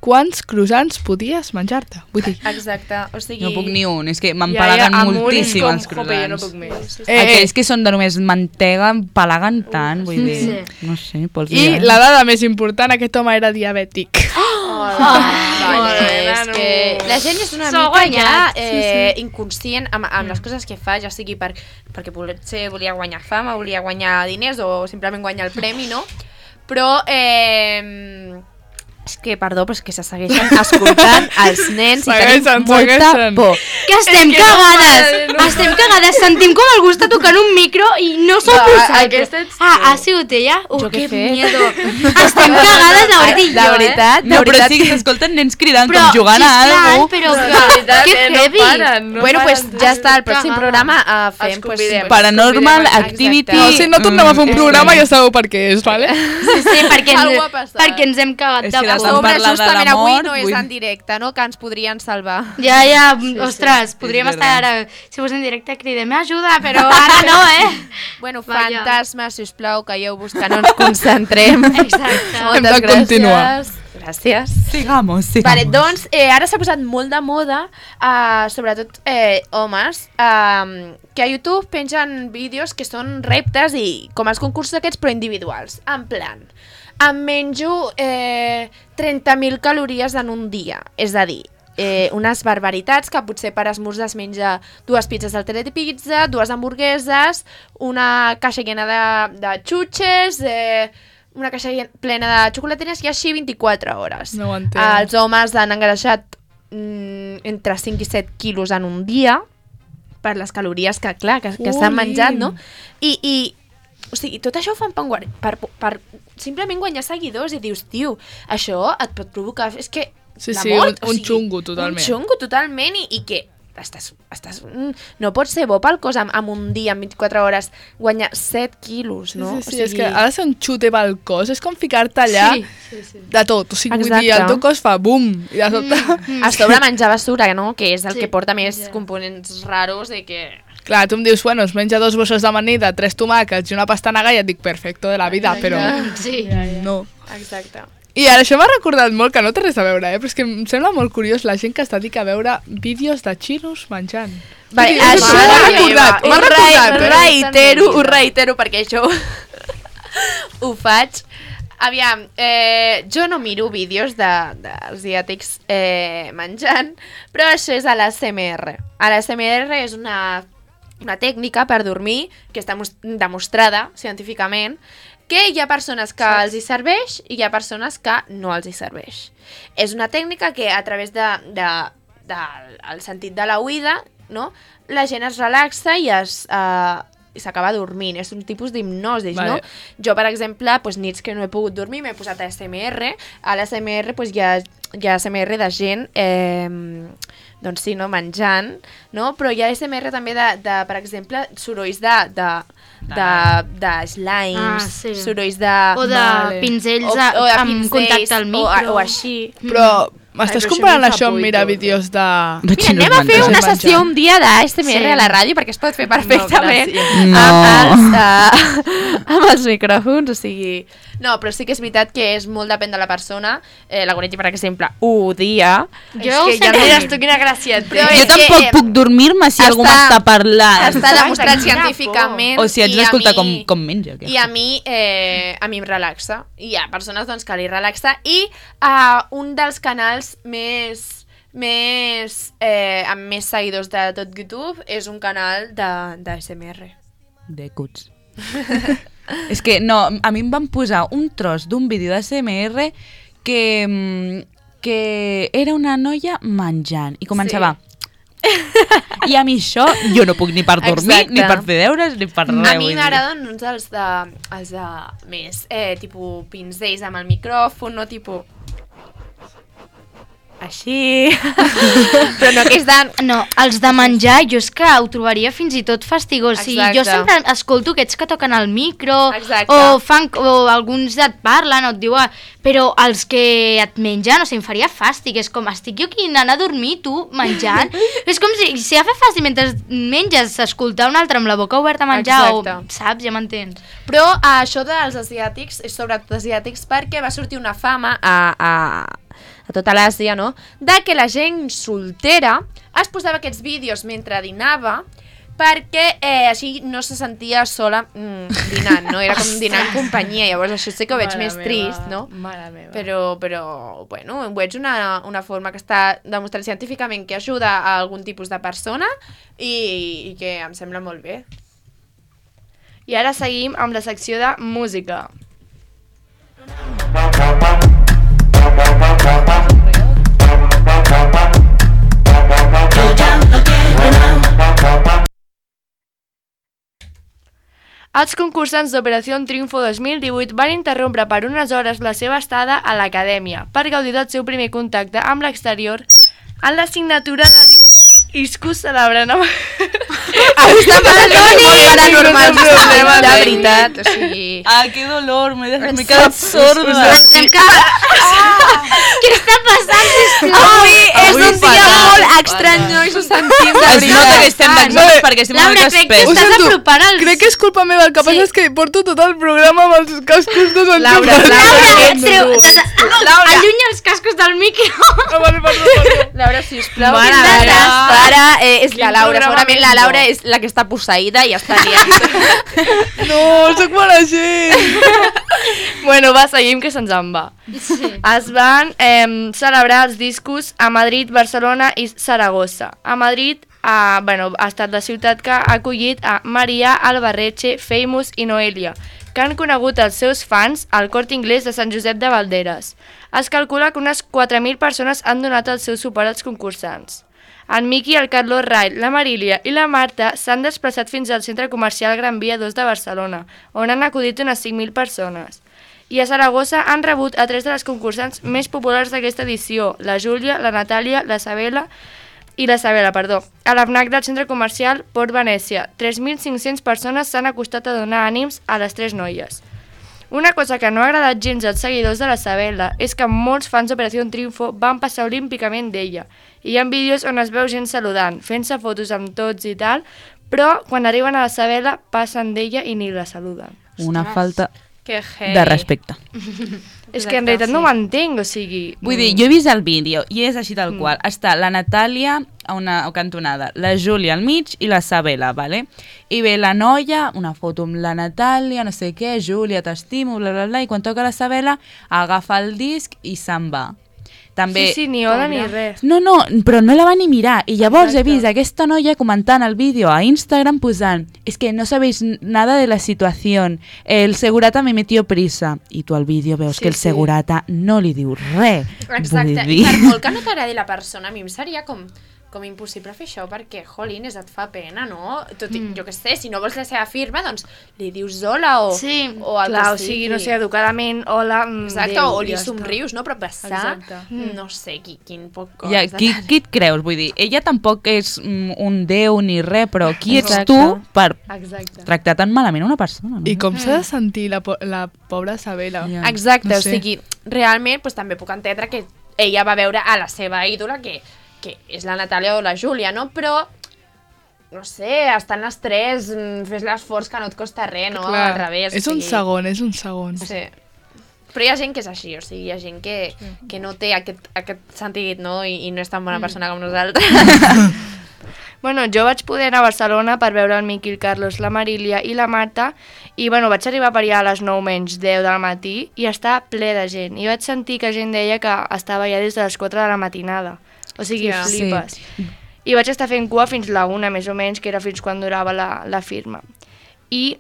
C: quants croissants podies menjar-te? Vull dir,
A: Exacte, o sigui...
B: No puc ni un, és que m'empalaguen moltíssim els
E: Jope, jo no
B: croissants.
E: puc més.
C: Eh,
B: Aquells que són de només mantega empalaguen tant, vull dir,
D: Sí.
B: no sé, pols
C: i
B: dir.
C: la dada més important, aquest home era diabètic.
A: Vale, és
E: nano.
A: que la gent és una
D: S'ho ha
A: mica ja
D: guanyat,
A: eh, inconscient amb, amb les coses que fa, ja sigui per, perquè potser volia guanyar fama, volia guanyar diners o simplement guanyar el premi, no? Però eh, és que, perdó, però és que se segueixen escoltant els nens i tenim
C: Segueixen,
A: molta
C: segueixen.
A: por.
D: Que estem
E: És que no
D: cagades,
E: paren, no
D: estem cagades, sentim com algú està tocant un micro i no s'ho
E: Va,
D: ha posat.
E: aquesta ets
D: Ah,
E: tu.
D: ha sigut ella? Uh,
A: Jo què
D: que
A: he fet?
D: miedo. Estem cagades, la veritat, i
A: De
D: jo,
A: veritat, de
B: No, però
A: veritat.
B: sí que s'escolten nens cridant
D: Però,
B: com jugant a
D: xisclant,
B: alguna
D: però
E: De
D: que,
E: veritat,
D: que
E: eh, no
D: heavy.
E: paren, no
A: Bueno, pues
E: paren.
A: ja està, el pròxim
D: Cagada.
A: programa uh, fem...
E: Els
A: Pues,
E: convidem.
B: Paranormal
A: Exacte.
B: Activity.
C: No, si no tornem a fer un
B: Mm,
C: programa ja sabeu per què és, vale?
D: Sí, sí, perquè
A: Algú ha
D: ens,
A: passat.
D: perquè ens hem cagat
B: És
D: de
B: que la
A: A
D: por.
B: Estan
A: sobre,
B: parlant de
A: justament
B: la
A: avui
B: mort,
A: no és
B: vull-
A: en directe, no? Que ens podrien salvar.
D: Ja, ja, ostres, podríem
B: és
D: estar ara, si fos en directe, cridem ajuda, però ara no, eh?
A: Bueno,
D: Vaja.
A: fantasmes, sisplau, calleu-vos que no ens concentrem.
D: Exacte.
C: Hem de
A: Moltes
C: continuar.
A: gràcies. Gràcies.
B: Sigamos, sigamos.
A: Vale, doncs, eh, ara s'ha posat molt de moda, uh, sobretot eh, homes, uh, que a YouTube pengen vídeos que són reptes i com els concursos aquests, però individuals. En plan, em menjo eh, trenta mil calories en un dia, és a dir, eh, unes barbaritats que potser per esmorzar es menja dues pizzas del Telepizza, dues hamburgueses, una caixa llena de, de xutxes, eh, una caixa llen- plena de xocolateres i així vint-i-quatre hores.
C: No ho entenc.
A: Els homes han engreixat mm, entre cinc i set quilos en un dia per les calories que, clar, que, que s'han
C: Ui.
A: menjat, no? I, i o sigui, tot això ho fan per, guar- per, per simplement guanyar seguidors i dius, tio, això et pot provocar... És que
C: Sí,
A: la
C: sí,
A: mort,
C: un- un xungo, totalment.
A: Un xungo totalment i, i que estàs, estàs, mm, no pot ser bo pel cos amb, amb un dia, en vint-i-quatre hores, guanyar set quilos, no?
C: Sí, sí, sí, és que ha de ser un xute pel cos, és com ficar-te allà
D: Sí, sí, sí.
C: de tot, o sigui, vull
A: Exacte.
C: dir, el teu cos fa bum, i de sobte...
D: Mm.
A: A sobre menjar basura, no? Que és el
D: Sí.
A: que porta més
D: Ja.
A: components raros de que...
C: Clar, tu em dius, bueno, es menja dos bosses d'amanida, tres tomàquets i una pastanaga i et dic, perfecto de la vida, però
D: Sí.
C: no.
A: Exacte.
C: I ara això m'ha recordat molt, que no té res a veure, eh? Però és que em sembla molt curiós la gent que es dedica a veure vídeos de xinos menjant.
A: Vale,
C: Vull dir,
A: això
C: m'ha
A: m'ha
C: recordat, m'ha
A: ho re-
C: recordat, eh?
A: reitero, ho reitero, perquè això ho faig. Aviam, eh, jo no miro vídeos de- d'asiàtics eh, menjant, però això és a l'A S M R. A l'A S M R és una, una tècnica per dormir que està mos- demostrada científicament, que hi ha persones que els hi serveix i hi ha persones que no els hi serveix. És una tècnica que a través de, de, de el sentit de la oïda, no? La gent es relaxa i es, uh, s'acaba dormint. És un tipus d'hipnosi,
C: Vale.
A: no? Jo, per exemple, doncs, nits que no he pogut dormir, m'he posat a S M R. A l'A S M R doncs, hi, ha, hi ha A S M R de gent... Eh, doncs sí, no, menjant, no? Però hi ha A S M R també de, de per exemple, sorolls de, de, de, de slimes,
D: Ah, sí.
A: sorolls de...
D: O de
C: Vale.
D: pinzells
A: o,
D: a-
A: o de
D: amb
A: pinzells,
D: contacte al micro.
A: O, o així.
C: Però m'estàs
E: Ai, però
C: comparant
E: això
C: això
E: em
C: amb
E: fa
C: mirar
E: por i tot.
C: vídeos de...
A: Mira, anem a fer una sessió un dia d'A S M R
D: Sí.
A: a la ràdio perquè es pot fer perfectament
E: gràcies.
B: No.
A: amb, els, uh, amb els micròfons, o sigui... No, però sí que és veritat que és molt depèn de la persona. Eh, la Goretti, per exemple, ho odia.
D: Jo
E: és
D: ho
E: que
D: sé
E: ja
D: que-
E: mires tu quina gràcia et té.
A: Però
B: Jo
A: és que,
B: tampoc
A: eh,
B: puc dormir-me si algú
A: està-
B: m'està parlant.
A: Està demostrat
E: Exacte, quina
A: científicament.
B: O si haig
A: i a
B: d'escoltar com,
A: mi-
B: com menja.
A: I a mi, eh, a mi em relaxa. I hi ha persones doncs, que li relaxa. I uh, un dels canals més, més, eh, amb més seguidors de tot YouTube és un canal de, de A S M R.
B: De cuts. És que, no, a mi em van posar un tros d'un vídeo d'A S M R que, mm, que era una noia menjant i començava... I a mi això, jo no puc ni per dormir,
A: Exacte.
B: ni per fer deures, ni per res.
A: A mi
B: vull dir.
A: m'agraden uns dels de, els de més, eh, tipus pinzells amb el micròfon, no tipus... Així... Però no que és de...
D: No, els de menjar, jo és que ho trobaria fins i tot fastigós. Sí, jo
A: Exacte.
D: sempre escolto aquests que toquen el micro,
A: Exacte.
D: o, fan, o alguns et parlen, o et diuen... Però els que et mengen, o sigui, em faria fàstic. És com, estic jo aquí anant a dormir, tu, menjant. És com si, si ja fa fàstic mentre menges, escoltar un altre amb la boca oberta a menjar,
A: Exacte.
D: o, saps, ja m'entens.
A: Però eh, això dels asiàtics, és sobretot asiàtics, perquè va sortir una fama a, a, a tota l'Àsia, no?, de que la gent soltera es posava aquests vídeos mentre dinava perquè eh, així no se sentia sola mm, dinant, no? Era com dinar en companyia, llavors això sí que ho veig
E: Mare
A: més
E: meva,
A: trist, no?
E: Mare meva.
A: Però, però, bueno, ho veig una, una forma que està demostrat científicament que ajuda a algun tipus de persona i, i que em sembla molt bé.
E: I ara seguim amb la secció de música. Els concursants d'Operació Triunfo dos mil divuit van interrompre per unes hores la seva estada a l'acadèmia per gaudir del seu primer contacte amb l'exterior en la signatura de Iscus celebrant amb...
A: Està molt paranormal, de veritat, o sigui...
B: Ah, que dolor, m'he m'he quedat sorda.
D: Pensem que... Què està passant, sisplau?
A: Avui és
B: Avui
A: un dia
B: fatal,
A: molt estrany, no? I s'ho sentim de
B: Es nota que estem d'exàmens
C: Vale.
B: perquè estem una
D: Laura,
B: mica
D: crec que
C: Ho
B: espès.
D: estàs
C: sento,
D: apropant els...
C: crec que és culpa meva, el que passa
D: Sí.
C: és que porto tot el programa amb els cascos de Sant
A: Laura,
C: Joan.
A: Laura,
D: Laura, treu...
A: Laura.
D: Allunya els cascos del micro.
C: Ah, vale, perdó, perdó.
A: Laura, sisplau,
B: Mare
A: que
B: meva.
A: desastre. Ara eh, és la
E: Quin
A: Laura,
E: programa
A: segurament
E: més
A: la
E: bo.
A: Laura és la que està posseïda i està liant.
C: No, sóc mala gent.
E: Bueno, va, seguim que se'ns en va.
D: Sí.
E: Es van eh, celebrar els discos a Madrid, Barcelona i Saragossa. A Madrid a, bueno, ha estat la ciutat que ha acollit a Maria, Albarreche, Famous i Noelia, que han conegut els seus fans al Corte Inglés de Sant Josep de Valderes. Es calcula que unes quatre mil persones han donat el seu suport als concursants. En Miqui, el Carlos Ray, la Marília i la Marta s'han desplaçat fins al centre comercial Gran Via dos de Barcelona, on han acudit unes cinc mil persones. I a Saragossa han rebut a tres de les concursants més populars d'aquesta edició, la Júlia, la Natàlia, la Sabela i la Sabela, perdó. A l'Afnac del centre comercial Port Venècia, tres mil cinc-cents persones s'han acostat a donar ànims a les tres noies. Una cosa que no ha agradat gens als seguidors de la Sabela és que molts fans d'Operació Triunfo van passar olímpicament d'ella. I hi ha vídeos on es veu gent saludant, fent-se fotos amb tots i tal, però quan arriben a la Sabela passen d'ella i ni la saluden.
B: Una falta
A: Que heavy.
B: de respecte.
E: És que en realitat no m'entenc, o sigui...
B: Vull dir, jo he vist el vídeo i és així tal qual. Està la Natàlia a una cantonada, la Júlia al mig i la Sabela, vale? I ve la noia, una foto amb la Natàlia, no sé què, Júlia, t'estimo, bla, bla, bla, i quan toca la Sabela agafa el disc i se'n va. També...
E: Sí, sí, ni hola ni res.
B: No, no, però no la va ni mirar. I llavors he vist aquesta noia comentant el vídeo a Instagram posant es que no sabéis nada de la situación, el segurata me metió prisa. I tu al vídeo veus
A: Sí,
B: que el
A: sí.
B: segurata no li diu res.
A: Exacte,
B: Vull
A: i
B: dir...
A: per molt que no t'agradi la persona, a mi em seria com com impossible fer això perquè, jolines, et fa pena, no? Tot i, mm. jo què sé, si no vols la seva firma, doncs li dius hola o,
D: Sí,
A: o el
E: Clar,
A: que
E: o sigui, no sé, educadament, hola, mm,
A: Exacte,
E: Déu,
A: o li
E: ja està.
A: somrius, no? Però passar,
C: Exacte.
A: no sé, qui, quin poc cos.
B: Ja, qui, qui et creus? Vull dir, ella tampoc és mm, un déu ni res, però qui ets
A: Exacte.
B: tu per
E: Exacte.
B: tractar tan malament una persona? No?
C: I com s'ha de sentir la, po la pobra Sabela?
B: Ja.
A: Exacte,
C: No
A: o
C: sé.
A: sigui, realment pues, també puc entendre que ella va veure a la seva ídola, que, que és la Natàlia o la Júlia, no? Però, no sé, estan les tres, mm, fes l'esforç que no et costa res, no? Al revés.
C: és
A: o
C: un
A: sigui,
C: segon, és un segon.
A: Sí. Però hi ha gent que és així, o sigui, hi ha gent que, que no té aquest, aquest sentit, no? I, i no és tan bona persona com nosaltres.
E: Bueno, jo vaig poder anar a Barcelona per veure el Miqui, el Carlos, la Marília i la Marta i bueno, vaig arribar per allà a les nou menys deu del matí i està ple de gent. I vaig sentir que gent deia que estava ja des de les quatre de la matinada. O sigui,
A: Hòstia.
E: flipes. I vaig estar fent cua fins la una, més o menys, que era fins quan durava la, la firma. I,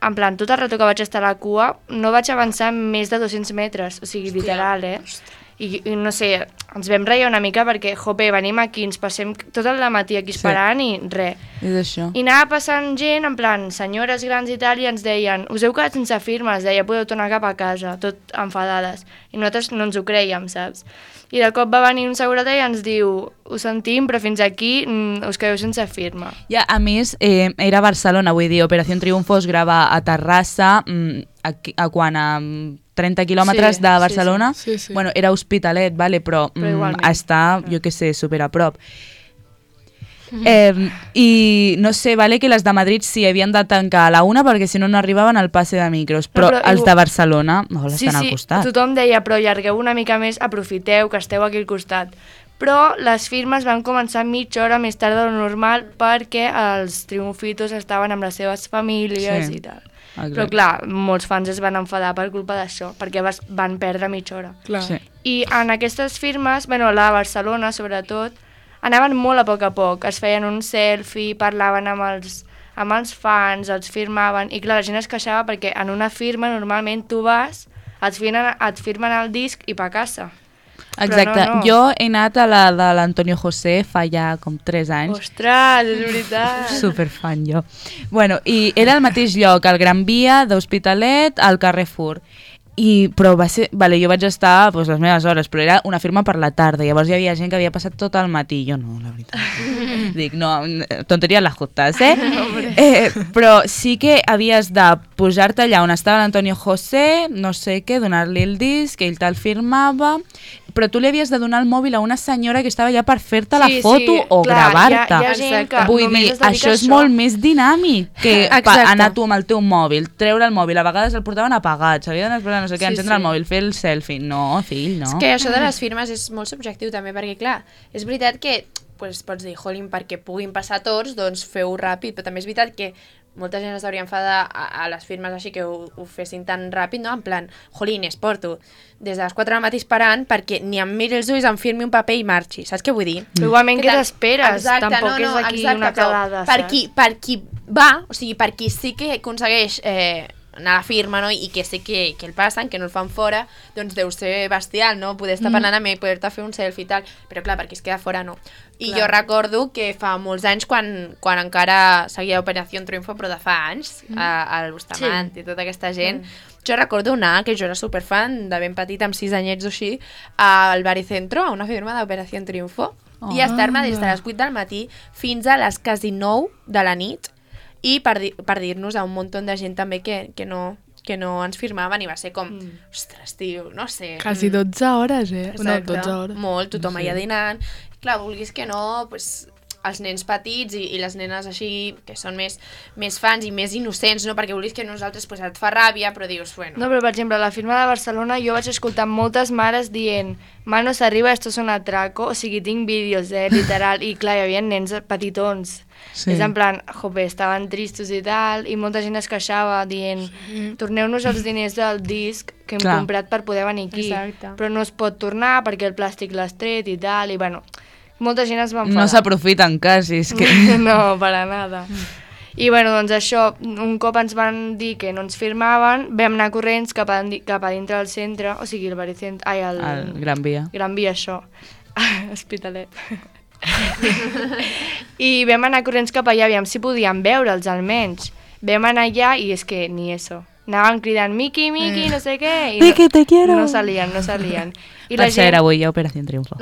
E: en plan, tot el rato que vaig estar a la cua, no vaig avançar més de dos-cents metres. O sigui, literal, eh? I, i no sé, ens vam reia una mica perquè, jope, venim aquí, ens passem tot el matí aquí esperant sí. i res.
B: És això.
E: I anava passant gent, en plan, senyores grans i tal, i ens deien, us heu quedat sense firmes, deia, podeu tornar cap a casa, tot enfadades. I nosaltres no ens ho creiem, saps? I de cop va venir un seguretat i ens diu, ho sentim, però fins aquí mm, us quedeu sense firma.
B: Ja, a més, eh, era a Barcelona, vull dir, Operació Triunfo es grava a Terrassa, mm, a, a quan a trenta quilòmetres
E: Sí,
B: de
E: sí,
B: Barcelona.
C: sí. Sí, sí.
B: Bueno, era Hospitalet, vale, però,
E: Però
B: mm,
E: igualment.
B: està, jo què sé, super a prop. Eh, I no sé, vale que les de Madrid sí havien de tancar a la una perquè si no no arribaven al passe de micros, però,
E: però
B: els
E: igual-
B: de Barcelona oh,
E: Sí,
B: estan
E: sí,
B: al costat.
E: tothom deia, però allargueu una mica més, aprofiteu que esteu aquí al costat. Però les firmes van començar mitja hora més tard de lo normal perquè els triomfitos estaven amb les seves famílies
B: Sí.
E: i tal.
B: Exacte.
E: Però clar, molts fans es van enfadar per culpa d'això, perquè vas, van perdre mitja hora.
C: Clar.
B: Sí.
E: I en aquestes firmes, bueno, la de Barcelona sobretot, anaven molt a poc a poc, es feien un selfie, parlaven amb els, amb els fans, els firmaven, i clar, la gent es queixava perquè en una firma normalment tu vas, et firmen, et firmen el disc i pa casa.
B: Exacte,
E: Però no, no.
B: jo he anat a la de l'Antonio José fa ja com tres anys.
E: Ostres, és veritat!
B: Superfan jo. Bueno, i era al mateix lloc, al Gran Via d'Hospitalet, al Carrefour. I, però va ser, vale, jo vaig estar pues, les meves hores, però era una firma per la tarda, llavors hi havia gent que havia passat tot el matí, jo no, la veritat. Dic, no, tonteries les justes, eh? eh? Però sí que havies de posar-te allà on estava l'Antonio José, no sé què, donar-li el disc, ell te'l firmava, però tu li havies de donar el mòbil a una senyora que estava allà per fer-te la
E: Sí,
B: foto
E: sí,
B: o
E: clar,
B: gravar-te.
E: hi ha- hi ha gent que
B: Vull
E: només
B: dir,
E: es dedica
B: això
E: a
B: és
E: això.
B: molt més dinàmic que pa,
A: Exacte.
B: anar tu amb el teu mòbil, treure el mòbil, a vegades el portaven apagat, s'havia d'anar no sé què,
E: Sí,
B: encendre
E: sí.
B: el mòbil, fer el selfie. No, fill, no.
A: És que això de les firmes és molt subjectiu també, perquè clar, és veritat que pues, pots dir, jolín, perquè puguin passar tots, doncs feu ràpid, però també és veritat que molta gent es hauria enfadar a, a les firmes així que ho, ho fessin tan ràpid, no? En plan, jolines, porto des de les quatre del matí esperant perquè ni em miri els ulls, em firmi un paper i marxi, saps què vull dir?
E: Però igualment
A: Que
E: què
A: tal-
E: t'esperes?
A: Exacte,
E: Tampoc
A: no, no,
E: és aquí
A: exacte,
E: una
A: però
E: quedada,
A: per
E: saps?
A: qui, per qui va, o sigui, per qui sí que aconsegueix eh, anar a la firma, no? I que sé que, que el passen, que no el fan fora, doncs deu ser bestial, no? Poder estar parlant amb ell, poder-te fer un selfie i tal, però clar, per qui es queda fora no. I
E: Clar.
A: jo recordo que fa molts anys, quan, quan encara seguia Operació Triunfo, però de fa anys, mm. a, al Bustamant sí. i tota aquesta gent, mm. jo recordo anar, que jo era superfan de ben petit, amb sis anyets o així, al Baricentro, a una firma d'Operació Triunfo, oh. i estar-me des de les vuit del matí fins a les quasi nou de la nit, i per, di per dir-nos a un munt de gent també que, que, no, que no ens firmaven i va ser com, mm. ostres, tio, no sé.
C: Quasi dotze hores, eh? No,
A: Exacte.
C: dotze hores.
A: Molt, tothom allà dinant. Clar, vulguis que no, pues, els nens petits i, i les nenes així, que són més, més fans i més innocents, no? Perquè vulguis que nosaltres pues, et fa ràbia, però dius, bueno...
E: No, però per exemple, a la firma de Barcelona jo vaig escoltar moltes mares dient «Manos arriba, esto es un atraco», o sigui, tinc vídeos, eh, literal, i clar, hi havia nens petitons.
B: Sí.
E: És en plan, jope, estaven tristos i tal, i molta gent es queixava dient «Torneu-nos els diners del disc que hem
B: Clar.
E: comprat per poder venir aquí».
A: Exacte.
E: Però no es pot tornar perquè el plàstic l'has tret i tal, i bueno, molta gent es va enfadar.
B: No s'aprofiten quasi, és que...
E: No, per a nada. I bueno, doncs això, un cop ens van dir que no ens firmaven, vam anar corrents cap a, cap a dintre del centre, o sigui, el Baricent... Ai, el...
B: El Gran Via.
E: Gran Via, això. Hospitalet. I vam anar corrents cap allà, aviam si podíem veure'ls almenys. Vam anar allà i és que ni eso. Anàvem cridant Miki, Miki, no sé què. I
B: Miki, te quiero.
E: No salien, no salien. I
B: Per cert, avui hi ha Operació Triunfo.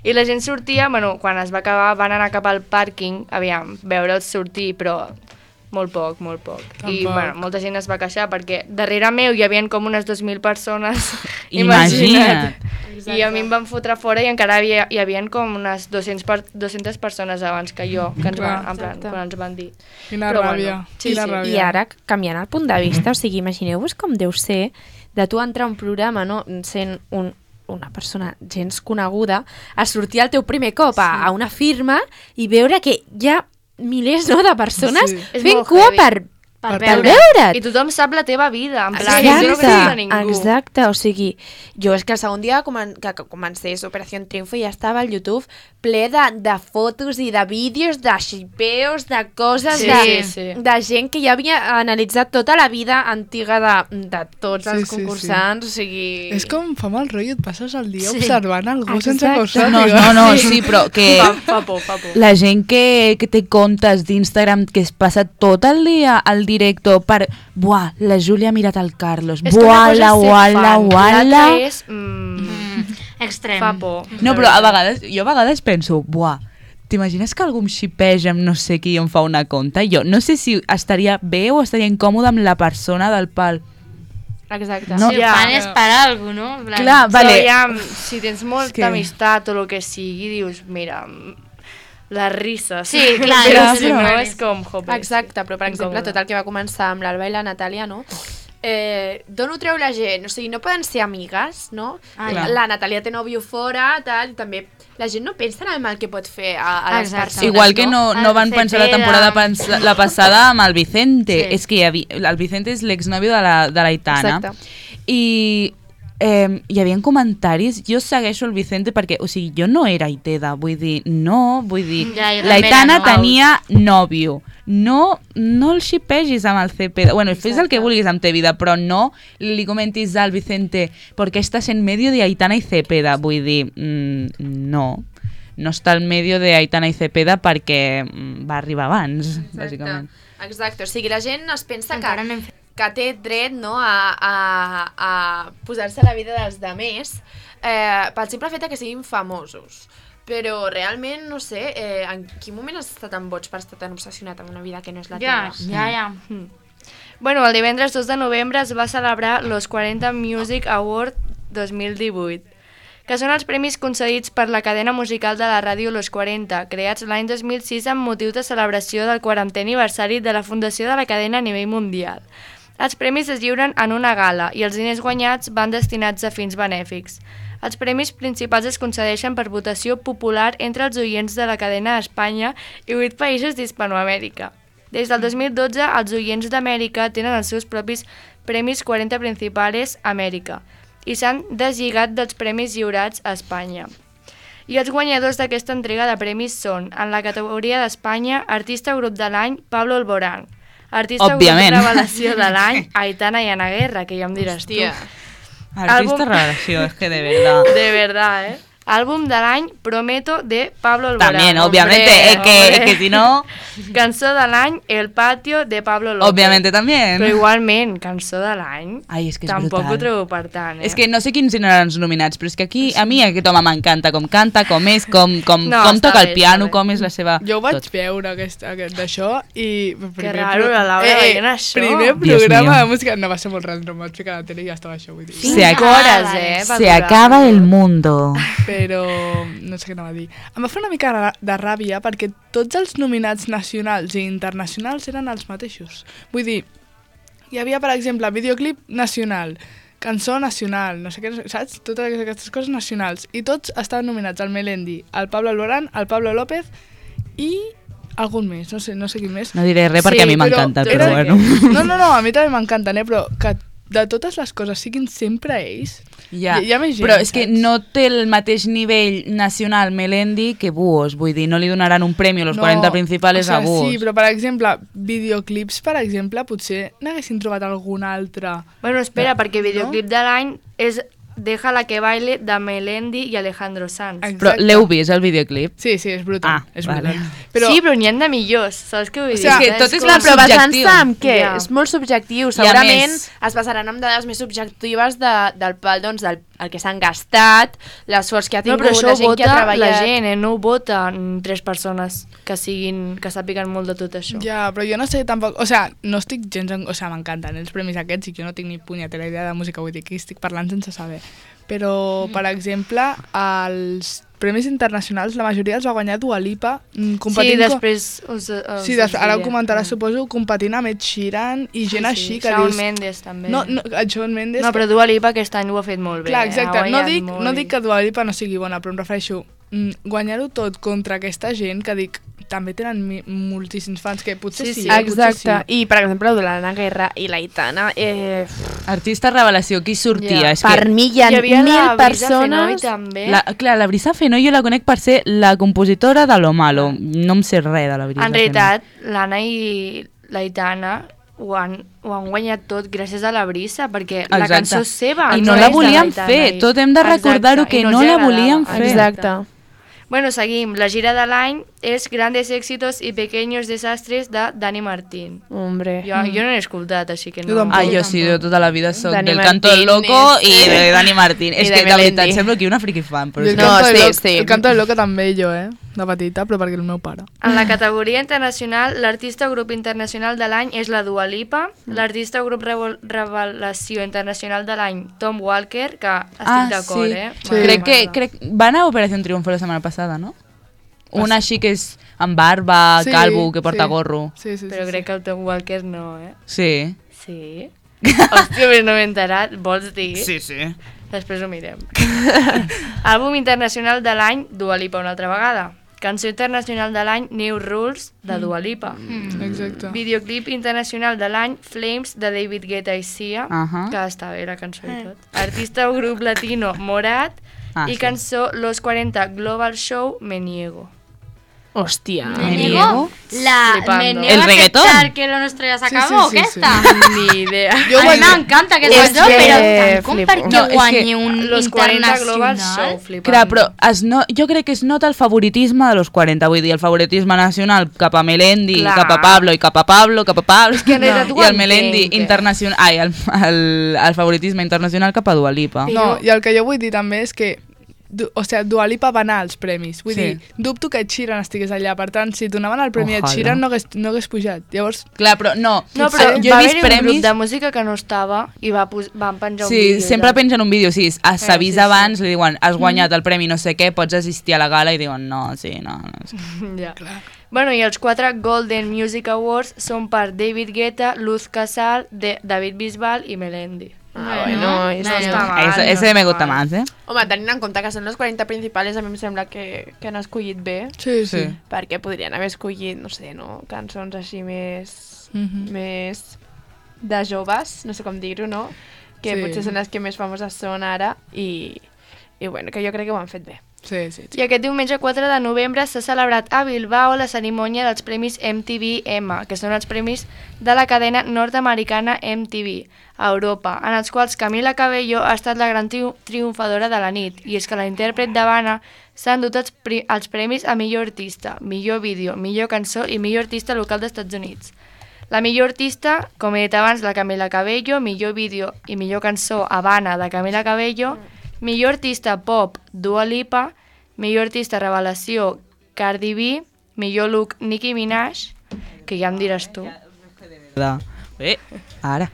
E: I la gent sortia, bueno, quan es va acabar van anar cap al pàrquing, aviam, veure'ls sortir, però molt poc, molt poc. I
C: Tampoc.
E: bueno, molta gent es va queixar perquè darrere meu hi havia com unes dos mil persones.
B: Imagina't.
E: I a mi em van fotre fora i encara havia, hi havia com unes dues-centes, per, dues-centes persones abans que jo, que ens van,
C: Clar.
E: en plan,
A: Exacte.
E: quan ens van dir.
C: Quina
E: Però
C: ràbia.
E: bueno, sí,
C: Quina
E: sí.
C: ràbia.
G: I ara, canviant el punt de vista, o sigui, imagineu-vos com deu ser de tu entrar a un programa, no?, sent un, una persona gens coneguda, a sortir el teu primer cop a, a una firma i veure que hi ha milers, no?, de persones
C: Sí.
E: És
G: fent
E: molt
G: cua
E: heavy.
G: per,
D: Per
G: per,
D: veure.
G: veure't.
E: I tothom sap la teva vida, en plan,
G: Exacte,
E: jo no conec a ningú.
G: exacte, o sigui, jo és que el segon dia comen que, que comencés Operació Triunfo ja estava al YouTube ple de, de fotos i de vídeos, de xipeos, de coses,
E: Sí,
G: de,
E: sí.
G: de gent que ja havia analitzat tota la vida antiga de, de tots
C: Sí,
G: els
C: sí, sí.
G: concursants, o sigui...
C: És com fa mal rotllo, et passes el dia
D: Sí.
C: observant algú sense
G: Exacte.
C: que ho sàpiga.
B: No, no, no, sí, però que
E: Fa, fa por, fa por.
B: la gent que, que té comptes d'Instagram que es passa tot el dia al directo per... Buah, la Júlia ha mirat el Carlos.
E: És que una cosa
B: Buala,
E: és ser
B: uala,
E: fan,
B: uala.
E: l'altra és... Mm,
D: Extrem.
E: fa por.
B: No, però a vegades, jo a vegades penso, buah, t'imagines que algú em xipeja amb no sé qui i em fa una conta? Jo no sé si estaria bé o estaria incòmode amb la persona del pal.
G: Exacte.
B: No.
D: Si ho
E: Ja.
D: fan és per algo, no? En plan,
B: Clar,
E: Vale.
B: vale.
E: Però ja, si tens molta
B: que-
E: amistat o el que sigui, dius, mira, les risses.
D: Sí, clar,
E: però
D: és
E: si no
D: super-
E: és com, jope.
G: Exacte, però per exemple,
E: Incòmode.
G: tot el que va començar amb l'Alba i la Natàlia, no? Eh, D'on ho treu la gent? O sigui, no poden ser amigues, no?
D: Ah,
G: la,
B: ja.
G: la Natàlia té nòvio fora, tal, i també la gent no pensa en el mal que pot fer a, a les
D: Exacte.
G: persones,
B: Igual que no, no
D: El
B: van pensar la
D: Cepeda.
B: temporada pens la passada amb el Vicente.
D: Sí.
B: És que hi havia, el Vicente és l'exnòvio de la, de la Aitana.
G: Exacte.
B: I eh, hi havia comentaris, jo segueixo el Vicente perquè, o sigui, jo no era Aiteda, vull dir, no, vull dir,
D: Ja, jo
B: la
D: també
B: Aitana
D: era, no.
B: tenia nòvio, no, no el xipegis amb el Cepeda, bueno, fes el que vulguis amb te vida, però no li comentis al Vicente perquè estàs en medio de Aitana i Cepeda, vull dir, mm, no, no està al medio de Aitana i Cepeda perquè mm, va arribar abans, bàsicament.
G: Exacte, o sigui, la gent es pensa
D: Encara
G: que,
D: no hem fet.
G: que té dret, no?, a, a, a posar-se a la vida dels demés eh, pel simple fet de que siguin famosos. Però realment, no sé, eh, en quin moment has estat tan boig per estar tan obsessionat amb una vida que no és la
D: Ja,
G: teva?
D: ja, ja.
E: Bueno, el divendres dos de novembre es va celebrar los quaranta Music Award dos mil divuit, que són els premis concedits per la cadena musical de la ràdio Los quaranta, creats l'any dos mil sis amb motiu de celebració del quarantè aniversari de la fundació de la cadena a nivell mundial. Els premis es lliuren en una gala i els diners guanyats van destinats a fins benèfics. Els premis principals es concedeixen per votació popular entre els oients de la cadena a Espanya i vuit països d'Hispanoamèrica. Des del dos mil dotze, els oients d'Amèrica tenen els seus propis Premis quaranta Principales Amèrica i s'han deslligat dels premis lliurats a Espanya. I els guanyadors d'aquesta entrega de premis són, en la categoria d'Espanya, Artista Grup de l'any, Pablo Alborán. Artista
B: Òbviament.
E: Grup Revelació de l'any, Aitana i Ana Guerra, que ja em diràs
G: Hòstia.
E: tu.
B: Artista
E: Àlbum-
B: revelació, es que de verdad.
E: De verdad, ¿eh? Álbum de l'any, Prometo, de Pablo Alborán.
B: También, obviamente,
E: Hombre,
B: es que, es
E: hombre.
B: que si no,
E: Cançó de l'any, El Patio, de Pablo López.
B: obviamente también.
E: Però igualment, cançó de l'any,
B: Ai, és que és
E: tampoc
B: brutal.
E: ho trobo per tant, eh?
B: És que no sé quins eren els nominats, però és que aquí a mi aquest home m'encanta, com canta, com és, com, com,
E: No,
B: com
E: està
B: toca
E: bé,
B: el piano,
E: està bé.
B: com és la seva...
C: Jo ho vaig
B: tot.
C: veure aquest, aquest d'això i... Primer
E: raro,
C: pro-
E: la Laura veient això.
C: Primer
B: Dios
C: programa
B: mío.
C: de música... No, va ser molt random, vaig ficar a la tele i ja estava això, vull dir.
B: Se
E: Cinc
B: acaba-
E: hores, eh? va
B: Se
E: durar.
B: acaba el mundo.
C: Però no sé què anava a dir. Em va fer una mica ra- de ràbia perquè tots els nominats nacionals i internacionals eren els mateixos. Vull dir, hi havia, per exemple, videoclip nacional, cançó nacional, no sé què, saps? Totes aquestes coses nacionals. I tots estaven nominats, el Melendi, el Pablo Alborán, el Pablo López i algun més, no sé, no sé quin més.
B: No diré res perquè a mi m'encanta, però
C: era-
B: bueno.
C: No, no, no, a mi també m'encanten, eh? Però que de totes les coses siguin sempre ells...
B: Ja,
C: Hi- hi ha més gent,
B: però és que
C: saps?
B: no té el mateix nivell nacional Melendi que Buos, vull dir, no li donaran un premi a los
C: No,
B: quaranta principales
C: o sea,
B: a Buos.
C: Sí, però per exemple, videoclips, per exemple, potser n'haguessin trobat algun altre.
E: Bueno, espera, perquè videoclip de l'any és Deja la que baile de Melendi i Alejandro Sanz.
B: Però l'heu vist, el videoclip?
C: Sí, sí, és brutal.
B: Ah,
C: és
B: vale.
C: brutal. Però,
E: Sí, però n'hi ha de millors, saps què vull dir?
C: sigui,
B: és que tot és
E: com-
B: molt
A: Però basant-se
B: subjectiu.
A: en què?
E: Ja.
A: És molt subjectiu.
B: I a
A: Segurament
B: més-
A: es basaran en dades més subjectives de, del pal, doncs, del el que s'han gastat, l'esforç que ha
E: No,
A: tingut,
E: però això
A: la
E: ho
A: gent que ha
E: vota
A: treballat.
E: la gent, eh? No ho voten tres persones que siguin, que sàpiguen molt de tot això.
C: ja, però jo no sé tampoc... O sea, no estic gens... En, o sea, m'encanten els premis aquests i jo no tinc ni punyetera idea de música, vull dir que estic parlant sense saber. Però, per exemple, els premis internacionals, la majoria els va guanyar Dua Lipa, mm,
E: Sí,
C: competint... co-
E: després us, us
C: Sí, des, ara ho
E: diré.
C: comentaràs, suposo, competint amb Ed Sheeran i gent així que
E: Shawn
C: dius...
E: Mendes també.
C: No, no, el Shawn Mendes...
E: no, però Dua Lipa aquest any ho ha fet molt bé.
C: Clar,
E: eh?
C: exacte.
E: Ha
C: No
E: guanyat
C: dic,
E: molt
C: no
E: bé.
C: dic que Dua Lipa no sigui bona, però em refereixo mm, guanyar-ho tot contra aquesta gent que dic també tenen mi, moltíssims fans, que potser
E: Sí,
C: sí,
E: sí.
C: eh,
A: Exacte.
C: potser sí.
A: I, per exemple, l'Anna Guerra i l'Aitana, eh,
B: Artista revelació, qui sortia?
E: Ja.
B: És
A: per
B: que
A: mi hi ha
E: Hi havia
A: mil
E: la Brisa Fenoy
A: persones...
E: també.
B: la, clar, la Brisa Fenoy jo la conec per ser la compositora de Lo Malo. No em sé res de la Brisa
E: En realitat, l'Anna i l'Aitana ho han, ho han guanyat tot gràcies a la Brisa, perquè la
B: Exacte.
E: cançó és seva.
B: I
E: no
B: no la
E: és de
B: volien
E: l'Aitana
B: fer,
E: i-
B: tot hem de recordar-ho,
E: Exacte,
B: que
E: i
B: no
E: els
B: la
E: agradava.
B: volien fer.
A: Exacte.
E: Bueno, seguim. La gira de l'any és Grandes éxitos y pequeños desastres de Dani Martín.
A: Hombre.
E: Jo, jo no l'he escoltat, així que no...
C: Jo tampoc.
B: Ah, jo sí, jo tota la vida soc
A: Dani
B: del Canto del
A: Martín
B: Loco
A: és-
B: i de Dani Martín.
A: I
B: És
A: de
B: que, de veritat,
A: Melendi.
B: semblo que una friki fan. Però
C: I
B: és
C: el,
B: que...
A: No,
C: canto del
A: sí,
C: loco,
A: sí.
C: el canto del loco també jo, eh? De petita, però perquè el meu pare.
E: En la categoria internacional, l'artista o grup internacional de l'any és la Dua Lipa, l'artista o grup revol- revelació internacional de l'any, Tom Walker, que estic
B: Ah,
E: d'acord,
B: sí.
E: eh?
C: Sí.
B: Crec que crec, va anar a Operación Triunfo la setmana passada, no? Una així que és amb barba,
C: Sí,
B: calvo, que porta
C: sí.
B: gorro.
C: Sí, sí,
E: Però
C: sí,
E: crec
C: sí.
E: que el Tom Walker no, eh?
B: Sí.
E: Sí? Hòstia, però no m'he enterat. Vols dir?
B: Sí, sí.
E: Després ho mirem. Àlbum internacional de l'any, Dua Lipa una altra vegada. Cançó internacional de l'any, New Rules, de Dua Lipa.
C: Exacte.
E: Videoclip internacional de l'any, Flames, de David Guetta i Sia,
B: Ahà.
E: que està bé la cançó i tot. Artista o grup latino, Morat,
B: Ah,
E: i
B: sí.
E: cançó Los cuarenta Global Show, Me Niego.
A: Hòstia.
B: Me
D: Me
B: niego.
D: niego, la,
E: Flipando.
D: me niego
B: ¿El
D: a
B: reggaetón?
D: aceptar que lo nuestro ya se
C: Sí,
D: acabó,
C: sí,
D: ¿qué
C: sí,
D: está?
E: Ni idea.
C: Jo
D: a
C: vaig
D: mi
C: dir-
D: m'encanta aquest
A: És
D: cançó,
A: que
D: però tant com
A: flipo.
D: perquè
B: No, és
D: guanyi
B: que
D: un
E: Los cuarenta Global
D: internacional.
E: Show, flipant.
B: Clar, però es no, jo crec que es nota el favoritisme de los quaranta, vull dir, el favoritisme nacional cap a Melendi,
E: Clar.
B: cap a Pablo i cap a Pablo, cap a Pablo,
E: que en realitat ho
B: i el Melendi
E: entenc, eh?
B: internacional, ai, el, el, el favoritisme internacional cap a Dua Lipa.
C: No, i el que jo vull dir també és que du, o sea, Dua Lipa va anar als premis. Vull
B: Sí.
C: dir, dubto que Ed Sheeran estigués allà. Per tant, si donaven el premi a Ed
B: Ojalà.
C: Sheeran no hagués, no hagués pujat. Llavors,
B: Clar, però no,
E: No,
B: potser-
E: però
B: jo
E: va
B: he vist
E: haver-hi un grup
B: premis...
E: de música que no estava i va pos van penjar un
B: Sí,
E: vídeo.
B: sempre
E: ja.
B: pengen un vídeo, sí, es- s'avisa
E: sí, sí.
B: abans, li diuen, has guanyat el premi no sé què, pots assistir a la gala, i diuen, no, sí, no, no. Sí.
E: Ja. Bueno, i els quatre Golden Music Awards són per David Guetta, Luz Casal, de David Bisbal i Melendi.
A: Ah, bueno, eso
E: no
A: está
E: està mal.
B: Ese,
E: no
B: ese me
E: està
B: gusta
E: mal.
B: más, eh?
A: Home, tenint en compte que són els quaranta principals, a mi em sembla que, que han escollit bé,
C: sí, sí.
B: Sí.
A: perquè podrien haver escollit, no sé, no? Cançons així més...
C: Mhm.
A: més de joves, no sé com dir-ho, no? Que
C: Sí.
A: potser són les que més famoses són ara i, i bueno, que jo crec que ho han fet bé.
C: Sí, sí, sí.
E: I aquest diumenge quatre de novembre s'ha celebrat a Bilbao la cerimònia dels Premis M T V M, que són els premis de la cadena nord-americana M T V a Europa, en els quals Camila Cabello ha estat la gran triu triomfadora de la nit, i és que la intèrpret d'Havana s'ha endut els, pri els premis a millor artista, millor vídeo, millor cançó i millor artista local dels Estats Units. La millor artista, com he dit abans, la Camila Cabello, millor vídeo i millor cançó Havana de Camila Cabello, millor artista pop Dua Lipa, millor artista revelació Cardi B, millor look Nicki Minaj, que ja em diràs tu,
B: De... Eh, ara.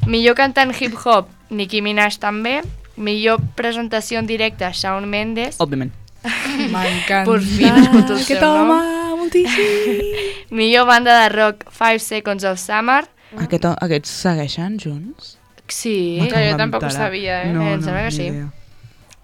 E: millor cantant hip-hop Nicki Minaj també, millor presentació en directe Shawn Mendes,
B: Òbviament.
C: M'encanta.
E: per fi escolto el
C: Aquest
E: seu nom,
C: home, moltíssim.
E: millor banda de rock Five Seconds of Summer,
B: Aquest, aquests segueixen junts?
E: sí,
A: Clar, jo
B: Em
A: tampoc ho
B: enterar.
A: sabia, eh?
B: No,
E: Em
B: no,
E: sembla que
B: ni
E: sí.
B: idea.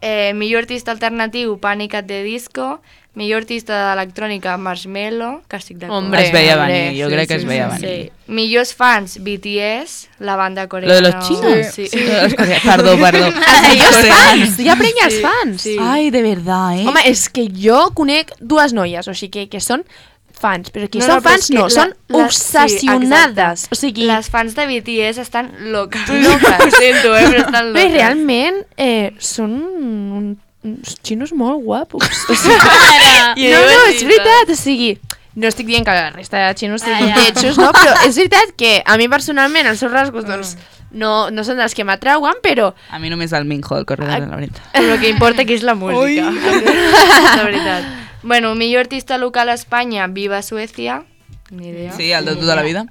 E: eh, millor artista alternatiu Panic at the Disco, millor artista d'electrònica Marshmello, que estic d'acord.
A: Hombre,
B: es veia
A: hombre,
B: venir, jo
C: sí,
B: crec que
C: sí,
B: es veia
C: sí,
B: venir.
E: Sí. Millors fans, B T S, la banda coreana.
B: Lo de los chinos?
E: Sí.
B: Sí. Los coreanos. Perdó, perdó.
A: Ells fans! Hi ha prenyes fans!
E: Sí.
B: Ai, de verdad, eh?
A: Home, és que jo conec dues noies, o sigui que, que són fans, però aquí
E: No,
A: són
E: no, però
A: fans
E: és que
A: no,
E: la-
A: són
E: la-
A: obsessionades.
E: sí,
A: o sigui,
E: Les fans de B T S estan loques.
A: Loques.
E: Ho sento, eh, però estan
A: bé,
E: loques.
A: realment eh, són un, uns xinos molt guapos. O sigui,
E: I
A: no,
E: és
A: no, és
E: veritat.
A: veritat, o sigui, no estic dient que la resta de xinos siguin
D: Ah, ja.
A: lletjos, no? Però és veritat que a mi personalment els seus rasgos doncs, no, no són dels que m'atrauen, però
B: A mi només el Minho, el corredor de la veritat.
E: Però el que importa aquí és la música. De veritat. Bueno, millor artista local a Espanya, Viva Suècia. Ni idea.
B: Sí, el de tota la vida.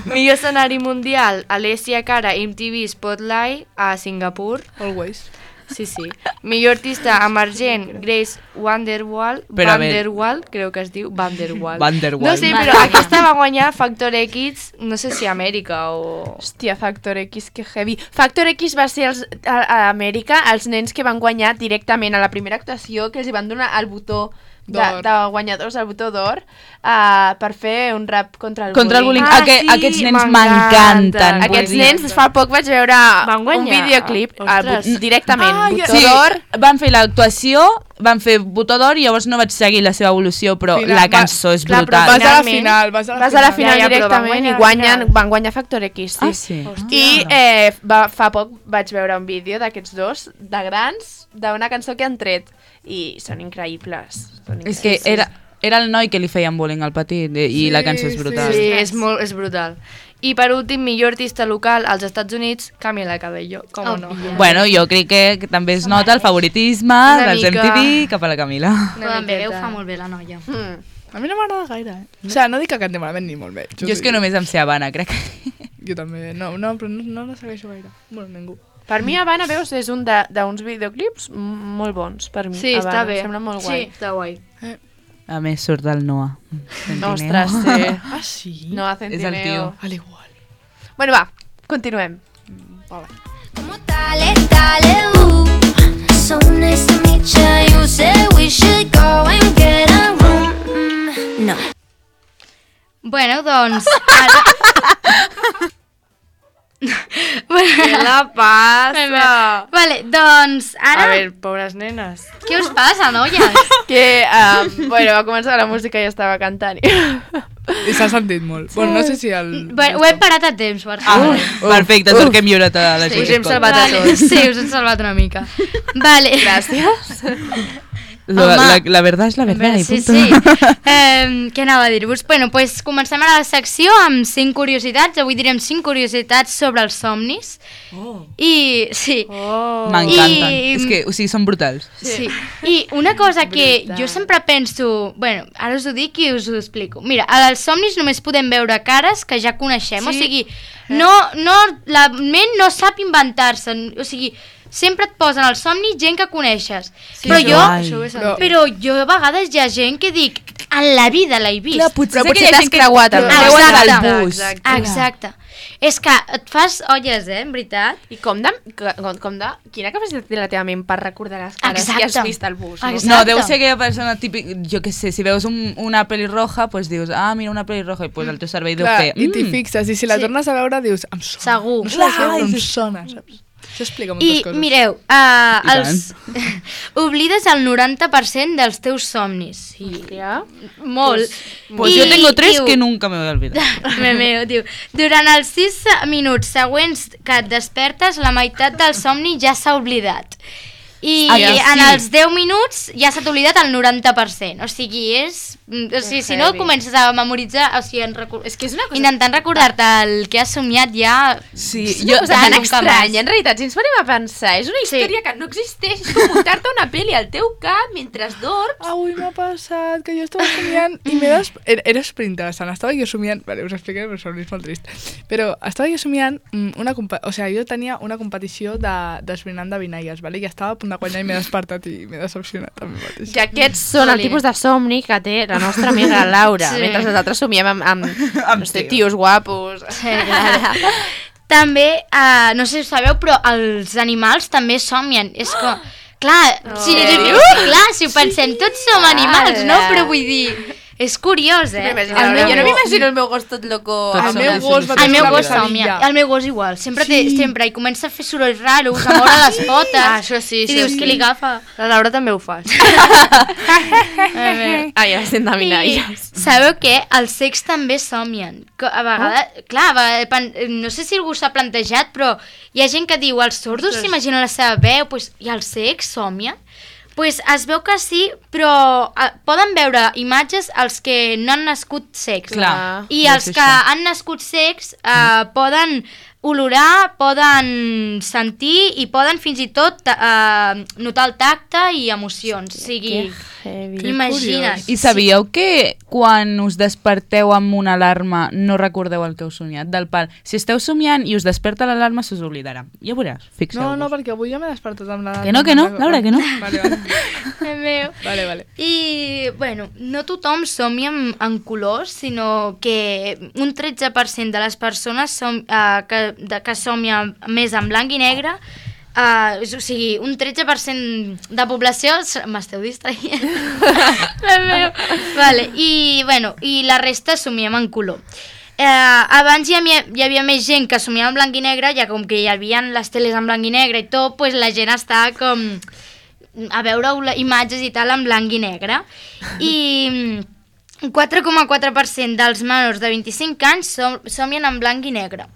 E: Millor escenari mundial, Alessia Cara, M T V Spotlight a Singapur.
C: Always.
E: Sí, sí. Millor artista emergent, Grace Vanderwall.
B: Però a veure-
E: Vanderwall, creu que es diu Vanderwall.
B: Vanderwall.
E: No sé, però aquesta va guanyar Factor X, no sé si a Amèrica o...
A: hòstia, Factor X, que heavy. Factor X va ser els, a, a Amèrica els nens que van guanyar directament a la primera actuació, que els hi van donar el botó de,
C: D'or.
A: de guanyadors, el botó d'or, uh, per fer un rap contra el
B: Contra el bullying.
E: Ah,
B: Aqu
E: sí,
B: Aquests nens
E: m'encanten.
B: m'encanten.
A: Aquests
B: vull dir.
A: nens, fa poc vaig veure
E: Van
A: un
E: guanyar.
A: videoclip el,
E: Ostres.
A: bot- directament,
C: Ah, ja-
A: botó
B: Sí,
A: d'or.
B: van fer l'actuació, van fer botó d'or i llavors no vaig seguir la seva evolució, però
C: Final,
B: la
C: va-
B: cançó és
E: clar, però
B: brutal.
C: Vas a la
E: Finalment,
C: final, vas a la
A: Vas a la final
E: Ja, ja, però van
A: directament
E: guanyar
A: i
E: la
A: guanyen,
E: final.
A: van guanyar Factor X, sí.
B: Ah, sí?
A: I eh, va, fa poc vaig veure un vídeo d'aquests dos, de grans, d'una cançó que han tret. I són increïbles. Són
B: És que
A: increïbles.
B: era, era el noi que li feien bullying al petit i
C: Sí,
B: la cançó és
C: sí.
B: brutal.
E: Sí, és, molt, és brutal. I per últim, millor artista local als Estats Units, Camila Cabello, com oh, no.
B: Bueno, jo crec que, que també es nota el favoritisme
E: Una
B: dels M
E: mica.
B: T V cap a la Camila.
E: Una
D: També ho
E: miqueta.
D: fa molt bé la noia.
A: Mm.
C: A mi no m'agrada gaire, eh? O sigui, no dic que canti malament ni molt bé.
B: Jo és que només em sé Habana, crec.
C: Jo també, no, no però no, no la segueixo gaire. Bueno, ningú.
A: Per mi, Habana, veus, és un de- d'uns videoclips m- molt bons, per mi.
E: Sí,
A: Habana.
E: està bé.
A: Em sembla molt guai.
E: Sí, està guai.
B: A més, surt el Noah. Centineo.
A: Ostres, sí.
C: Ah, sí?
A: No, a
B: És el
A: Centineo.
B: tio.
C: Al igual.
A: Bueno, va, continuem.
F: Como dale, dale, ooh. So nice to meet you. You said we should go and get a room. Mm, no.
D: Bueno, doncs... Ara...
E: Què la passa?
D: Vale, doncs ara...
E: A veure, pobres nenes.
D: Què us passa, noies?
A: Que, um, bueno, va començar la música i estava cantant.
C: I s'ha sentit molt. Bueno, no sé si el...
D: Bueno, ho he parat a temps, per
B: Ah,
D: favor.
B: perfecte, és el que hem lliurat a la
D: Sí.
B: gent.
E: Us hem salvat a
D: Vale,
E: tots.
D: sí, us hem salvat una mica. Vale.
A: Gràcies.
B: La,
D: Home.
B: la, la verdad és la verdad. i
D: Sí,
B: punto.
D: sí. Eh, què anava a dir-vos? Bueno, pues comencem ara la secció amb cinc curiositats. Avui direm cinc curiositats sobre els somnis. Oh. I, sí.
E: Oh.
B: M'encanten.
D: I-
B: És que, o sigui, són brutals.
D: Sí. I una cosa que
E: Brutal.
D: jo sempre penso... Bueno, ara us ho dic i us ho explico. Mira, als somnis només podem veure cares que ja coneixem.
E: Sí.
D: O sigui, no, no, la ment no sap inventar-se. O sigui, sempre et posen al somni gent que coneixes.
E: Sí,
D: però
E: això-
D: jo...
E: això ho he sentit.
D: Però jo a vegades hi ha gent que dic, en la vida l'he vist.
B: Clar, potser
A: Però
B: és
A: potser
B: aquella
A: t'has
B: gent que-
A: creuat amb
B: que
D: el
B: veuen
D: Exacte.
B: del bus.
E: Exacte.
D: Exacte. És que et fas olles, eh, en veritat.
A: I com de, com, com de... Quina capacitat té la teva ment per recordar les cares que has
D: Exacte.
A: vist al bus? No?
D: Exacte.
B: No, deu ser aquella persona típica, jo què sé, si veus un, una pelirroja, pues dius, ah, mira una pelirroja, i pues el teu cervell deu
C: Clar,
B: fer...
C: i t'hi
B: "Mm".
C: fixes, i si la
D: Sí.
C: tornes a veure dius, em sona.
D: Segur.
C: No sé què,
B: Clar,
C: però em
B: i-
C: sona, saps? Això explica moltes
D: I
C: coses.
D: mireu, uh,
B: I
D: els... oblides el noranta per cent dels teus somnis. Sí.
A: Hòstia.
D: Molt.
B: Pues
D: I
B: yo tengo tres
D: diu-
B: que nunca me voy a olvidar.
D: Me meo, diu, durant els sis minuts següents que et despertes, la meitat del somni ja s'ha oblidat. I
B: Ah, ja,
D: en
B: sí.
D: els deu minuts ja s'ha oblidat el noranta per cent. O sigui, és... O sigui, si no
A: heavy.
D: comences a memoritzar... O sigui, en recu...
A: És que és una cosa...
D: intentant recordar-te el que has somiat ja...
B: Sí,
A: És
B: jo...
A: una cosa
D: de
A: tan
D: nunca
A: estranya,
D: más.
A: en realitat, si ens parem a pensar, és una història que no existeix, és com muntar-te una pel·li al teu cap mentre dorms.
C: Avui m'ha passat que jo estava somiant i m'he des... Era, era super interessant, estava jo somiant... Vale, us explicaré, però és molt trist. Però estava jo somiant mm, una... compa- O sigui, jo tenia una competició de d'esbrinant de vinaies, vale? I estava a punt de guanyar i m'he despertat i m'he decepcionat a mi mateix.
A: I aquests són el
D: Jolín.
A: tipus de somni que té la nostra amiga Laura,
D: Sí.
A: mentre els altres somiem amb, amb,
B: Amb
A: no sé,
B: tios.
A: tios guapos.
D: Sí, clar. També, uh, no sé si ho sabeu, però els animals també somien. És com... Clar, si,
A: Sèrio?
D: clar, si ho pensem, tots som animals, no? Però vull dir, És curiós, eh?
A: El
C: El
A: meu,
C: meu
A: jo no
C: gos-
A: m'imagino el meu gos tot loco.
B: Tot
C: El
B: som
C: meu
B: les
C: gos va
B: solucions.
D: El meu
C: una
D: gos
C: pesadilla.
D: somia. El meu gos igual. Sempre, té,
C: Sí.
D: sempre. I comença a fer sorolls raros, a moure les potes.
E: Ah, això sí,
D: I
E: això
D: dius
E: sí.
D: que li agafa.
E: La Laura també ho fa.
A: Ai, ja estem de
D: I
A: minalles.
D: sabeu què? Els cecs també somien. Que A vegades, oh. clar, a vegades, pan- no sé si algú s'ha plantejat, però hi ha gent que diu, els sordos s'imaginen la seva veu, pues, i els cecs somien? Pues es veu que sí, però eh, poden veure imatges els que no han nascut cecs.
B: Clar.
D: I
B: Ja
D: els
B: sé
D: que
B: això.
D: han nascut cecs eh, poden olorar, poden sentir i poden fins i tot eh, notar el tacte i emocions. O sigui, imagina't.
B: I sabíeu que quan us desperteu amb una alarma no recordeu el que heu somiat? Del pal, si esteu somiant i us desperta l'alarma, se us oblidarà. Ja veuràs, fixeu-vos.
C: No, no, perquè avui ja m'he despertat amb la...
B: Que no, que no, Laura, que no.
C: Vale, vale.
D: El meu.
C: Vale, vale.
D: I, bueno, no tothom somia en, en colors, sinó que un tretze per cent de les persones som, uh, que, de, que somia més en blanc i negre, uh, o sigui, un tretze per cent de població... s- M'esteu distraient? La meu. Vale, i, bueno, i la resta somiem en color. Eh, abans hi havia, hi havia més gent que somiava en blanc i negre, ja com que hi havia les teles en blanc i negre i tot, pues la gent estava com a veure imatges i tal en blanc i negre. I mm, quatre coma quatre per cent dels menors de vint-i-cinc anys som, somien en blanc i negre.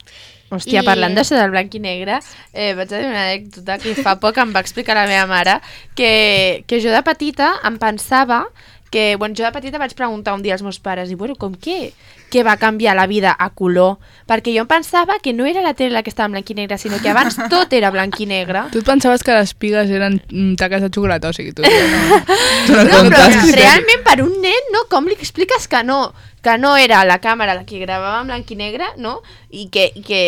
A: Hòstia,
D: I-
A: parlant d'això del blanc i negre, eh, vaig a dir una anècdota que fa poc em va explicar la meva mare, que, que jo de petita em pensava que, bueno, jo de petita vaig preguntar un dia als meus pares, i bueno, com què? Què va canviar la vida a color? Perquè jo em pensava que no era la tele la que estava en blanc i negre, sinó que abans tot era blanc i negre.
C: Tu et pensaves que les pigues eren mm, taques de xocolata, o sigui, tu... No,
B: Tu no
A: No, però
B: comptes.
A: realment per un nen, no? Com li expliques que no? Que no era la càmera la que gravava en blanc i negre, no? I que, i que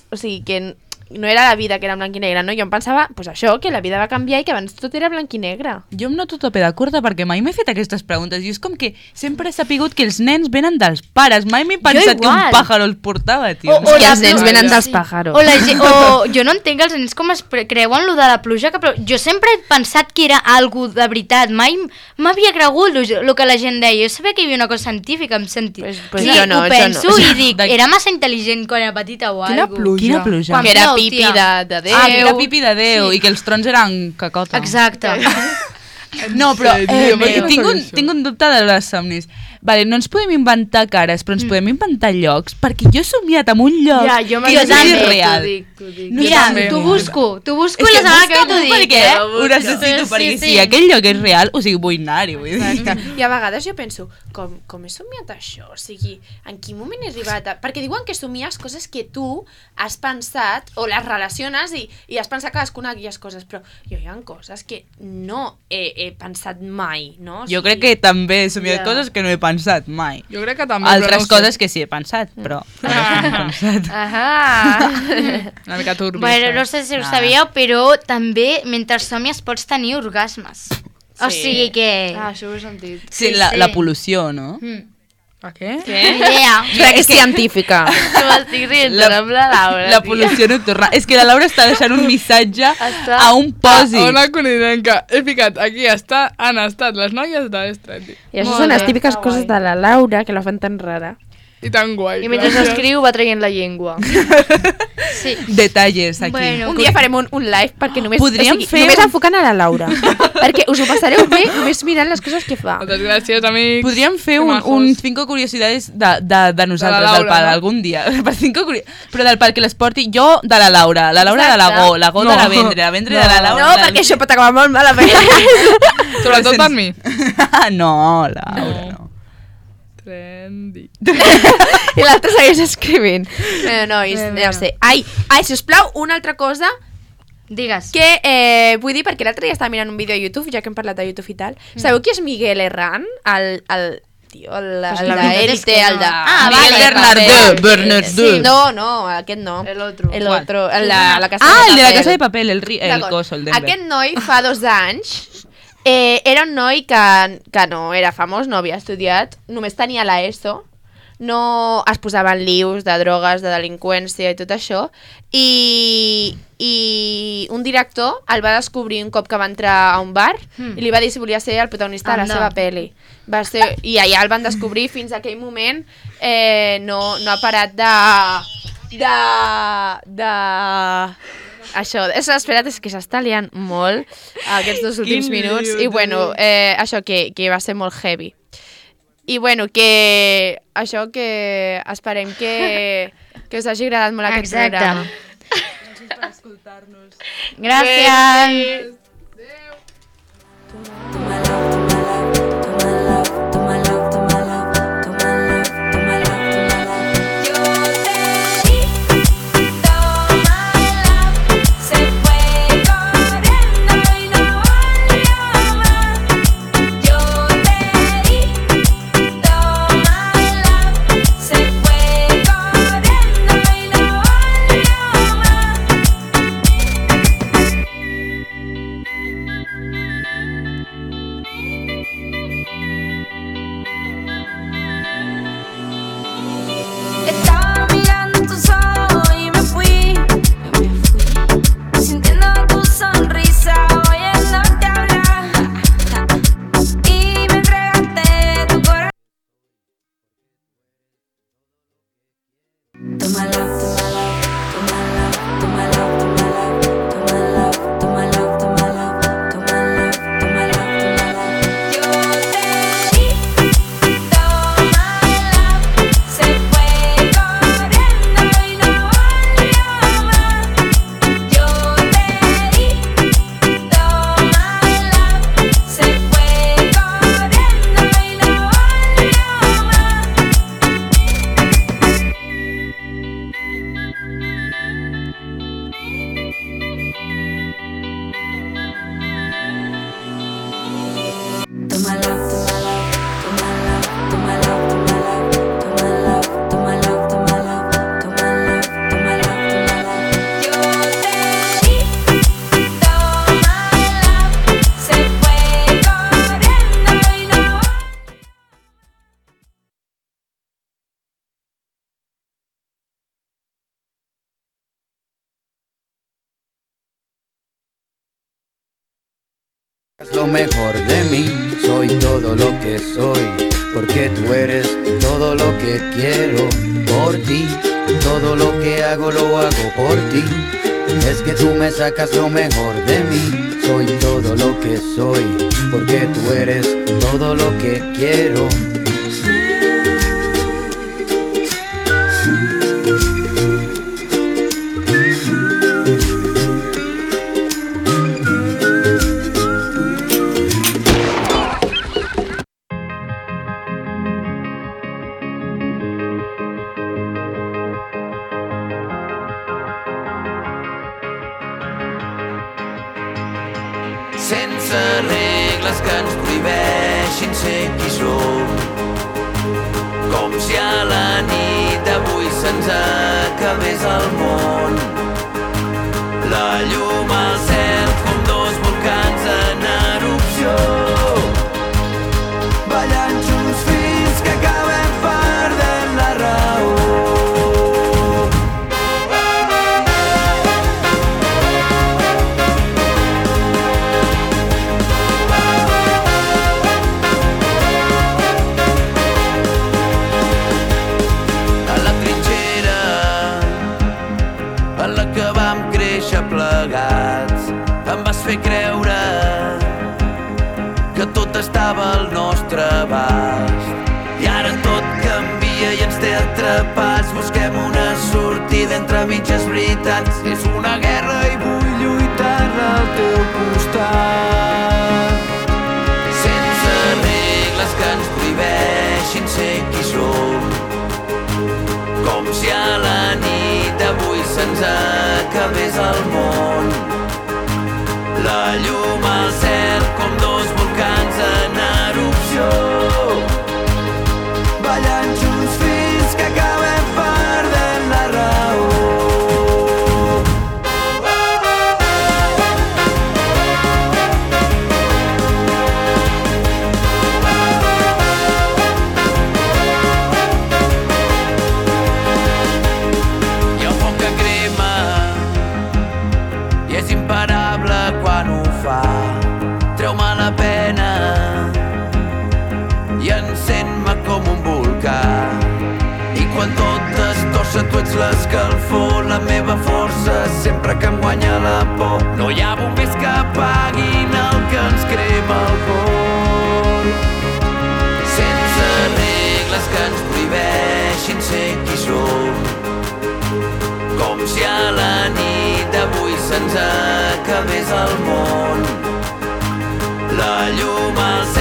A: o sigui, que no era la vida que era en blanc i negre, no? Jo em pensava, pues això, que la vida va canviar i que abans tot era blanc i negre.
B: Jo em noto tope de curta perquè mai m'he fet aquestes preguntes i és com que sempre he sapigut que els nens venen dels pares, mai m'he pensat que un
D: igual.
B: pàjaro els portava, tio.
D: O- o
A: I
D: la
A: els nens
D: pluja.
A: venen dels
D: Sí.
A: pàjaros.
D: O, la gent, o jo no entenc els nens com es pre- creuen lo de la pluja, que plou. Jo sempre he pensat que era algo de veritat, mai m'havia cregut el que la gent deia. Jo sabia que hi havia una cosa científica, em sentia.
A: Pues- pues
D: sí,
A: jo no,
D: ho
A: jo
D: penso
A: no.
D: i dic,
B: De-
D: era massa intel·ligent quan era petita o
C: Quina
D: algo.
C: pluja.
B: Quina pluja.
D: Quan
A: Que era
D: plou,
A: pipi
D: tia.
A: de, de Déu.
B: Ah, que era pipi de Déu
D: Sí.
B: i que els trons eren cacota.
D: Exacte.
B: No, però
C: En
B: eh,
C: sèrio,
B: me,
C: per què no
B: tinc, un,
C: sabia això?
B: tinc un dubte de les somnis. Vale, no ens podem inventar cares, però ens
D: Mm.
B: podem inventar llocs, perquè jo he somiat en un lloc
E: Ja, jo
B: que
E: m'ho
B: és
D: també,
B: irreal.
E: T'ho dic, t'ho dic.
B: No
D: Mira,
C: també.
D: t'ho busco, t'ho busco
B: És
D: i
B: que
D: la setmana que ve
B: busca-m'ho
D: t'ho dic,
B: perquè
D: eh?
B: ho necessito,
D: Sí,
B: perquè
D: sí,
B: si
D: sí.
B: aquell lloc és real, o sigui, vull anar-hi. Vull dir.
A: Exacte. I a vegades jo penso, com, com he somiat això? O sigui, en quin moment he arribat a... Perquè diuen que somies coses que tu has pensat o les relaciones i, i has pensat cadascuna d'aquelles coses, però jo hi ha coses que no he, he pensat mai, no? O
B: Jo
A: sigui,
B: crec que també he somiat
A: Ja.
B: coses que no he pensat mai.
C: Jo crec que també,
B: Altres
C: però no ho
B: coses
C: sé.
B: que sí he pensat, però... altres no he pensat.
E: Ahà.
C: Una mica turbi.
D: Bueno,
C: això.
D: no sé si ho
B: Ah.
D: sabíeu, però també mentre somies pots tenir orgasmes. O
A: Sí.
D: sigui que...
E: Ah, això ho he sentit.
B: Sí,
D: Sí,
B: la,
D: sí.
B: la pol·lució, no?
D: Mm.
C: A què?
D: Ni idea.
A: Crec que és científica.
E: Que m'estic rient
B: La-
E: amb la Laura.
B: La
E: tia.
B: pol·lució nocturna. És que la Laura està deixant un missatge
E: Està-
B: a un pòsit.
C: A una conidenca. He ficat, aquí està, han estat les noies de l'Estrati.
A: I això
E: Molt
A: són les
E: bé,
A: típiques
E: està
A: coses
E: guai.
A: de la Laura, que la fan tan rara.
C: I tan guai.
E: I mentre
C: gràcies.
E: escriu va traient la llengua.
D: Sí.
B: Detalles aquí.
D: Bueno,
A: Un dia farem un, un live perquè només,
B: Podríem
A: o sigui,
B: fer
A: només
B: un-
A: enfocant a la Laura. Perquè us ho passareu bé només mirant les coses que fa.
C: Moltes gràcies, amics.
B: Podríem fer
C: Que
B: un,
C: majos.
B: un cinco curiositats de, de, de nosaltres,
C: Laura,
B: del pal,
C: no?
B: algun dia. Per cinco curi... Però del pal que les porti jo de la Laura, la Laura de la
A: Exacte.
B: Go, la Go
C: No.
B: de la Vendre, la Vendre
C: No.
B: de la Laura.
A: No,
B: la...
A: perquè això pot acabar molt malament.
C: Sobretot per mi.
B: no, Laura, no. no.
C: Trendy.
A: I l'altre segueix escrivint. No, nois, no sé. Ai, ai, sisplau, una altra cosa
D: digues.
A: que eh, vull dir, perquè l'altre dia estava mirant un vídeo a YouTube, ja que hem parlat de YouTube i tal. Sabeu qui és Miguel Herrán? El, el tio, el,
D: Pues
A: el
D: la veritat és
A: d'Élite,
D: que no.
A: el de...
D: Ah,
B: Miguel
D: vale,
B: Bernardó,
A: vale.
B: Bernardó.
A: Sí, no, no, aquest no.
E: El otro.
A: El
B: ¿Cuál?
A: otro, el de la casa
B: Ah,
A: de
B: el de la
A: papel.
B: casa de papel, el, ri... el
A: D'acord.
B: coso, el Denver.
A: Aquest noi fa dos anys eh, era un noi que, que no era famós, no havia estudiat, només tenia la ESO, no es posaven lius de drogues, de delinqüència i tot això, i, i un director el va descobrir un cop que va entrar a un bar
D: Mm.
A: i li va dir si volia ser el protagonista de la
D: Anda.
A: seva pel·li. Va ser, I allà el van descobrir, fins a aquell moment eh, no, no ha parat de... de... de... Això, és, espera't, és que s'està liant molt aquests dos últims
B: Quin
A: minuts
B: lío,
A: i bueno, eh, això que, que va ser molt heavy. I bueno, que això que esperem que, que us hagi agradat molt aquest
D: Exacte.
A: programa.
B: Per escoltar-nos.
D: Gràcies.
F: Estaba mirando tus ojos y me fui, sintiendo tu sonrisa, oyéndote hablar, y me entregaste tu corazón. Toma love, toma love, toma love, toma love, toma love, toma love, toma love, toma love, toma love, toma love. Yo te di, toma love, se fue corriendo y no volvió más. Yo te di, toma love, se fue corriendo y no volvió Toma love, toma love, toma love, toma love, toma love, toma love, toma love, toma love, toma love, toma love. Yo te di, toma love, se fue corriendo y no.
H: Es lo mejor de mí, soy todo lo que soy, porque tú eres todo lo que quiero, por ti, todo lo que hago lo hago por ti, es que tú me sacas lo mejor de mí, soy todo lo que soy, porque tú eres todo lo que quiero.
I: Sense regles que ens prohibeixin ser qui som, com si a la nit d'avui se'ns acabés el món. La llum al cel com dos volcans en erupció, ballant junts fins que acabem perdent la raó. Plegats, em vas fer creure que tot estava al nostre abast. I ara tot canvia i ens té atrapats. Busquem una sortida entre mitges veritats. És una guerra i vull lluitar al teu costat. Sense regles que ens prohibeixin ser qui som, com si a la nit d'avui se'ns acabés el món. La llum al cel com dos volcans en erupció, ballant junts fins que acabem perdent la raó. que ens prohibeixin ser qui som. Com si a la nit d'avui se'ns acabés el món. La llum als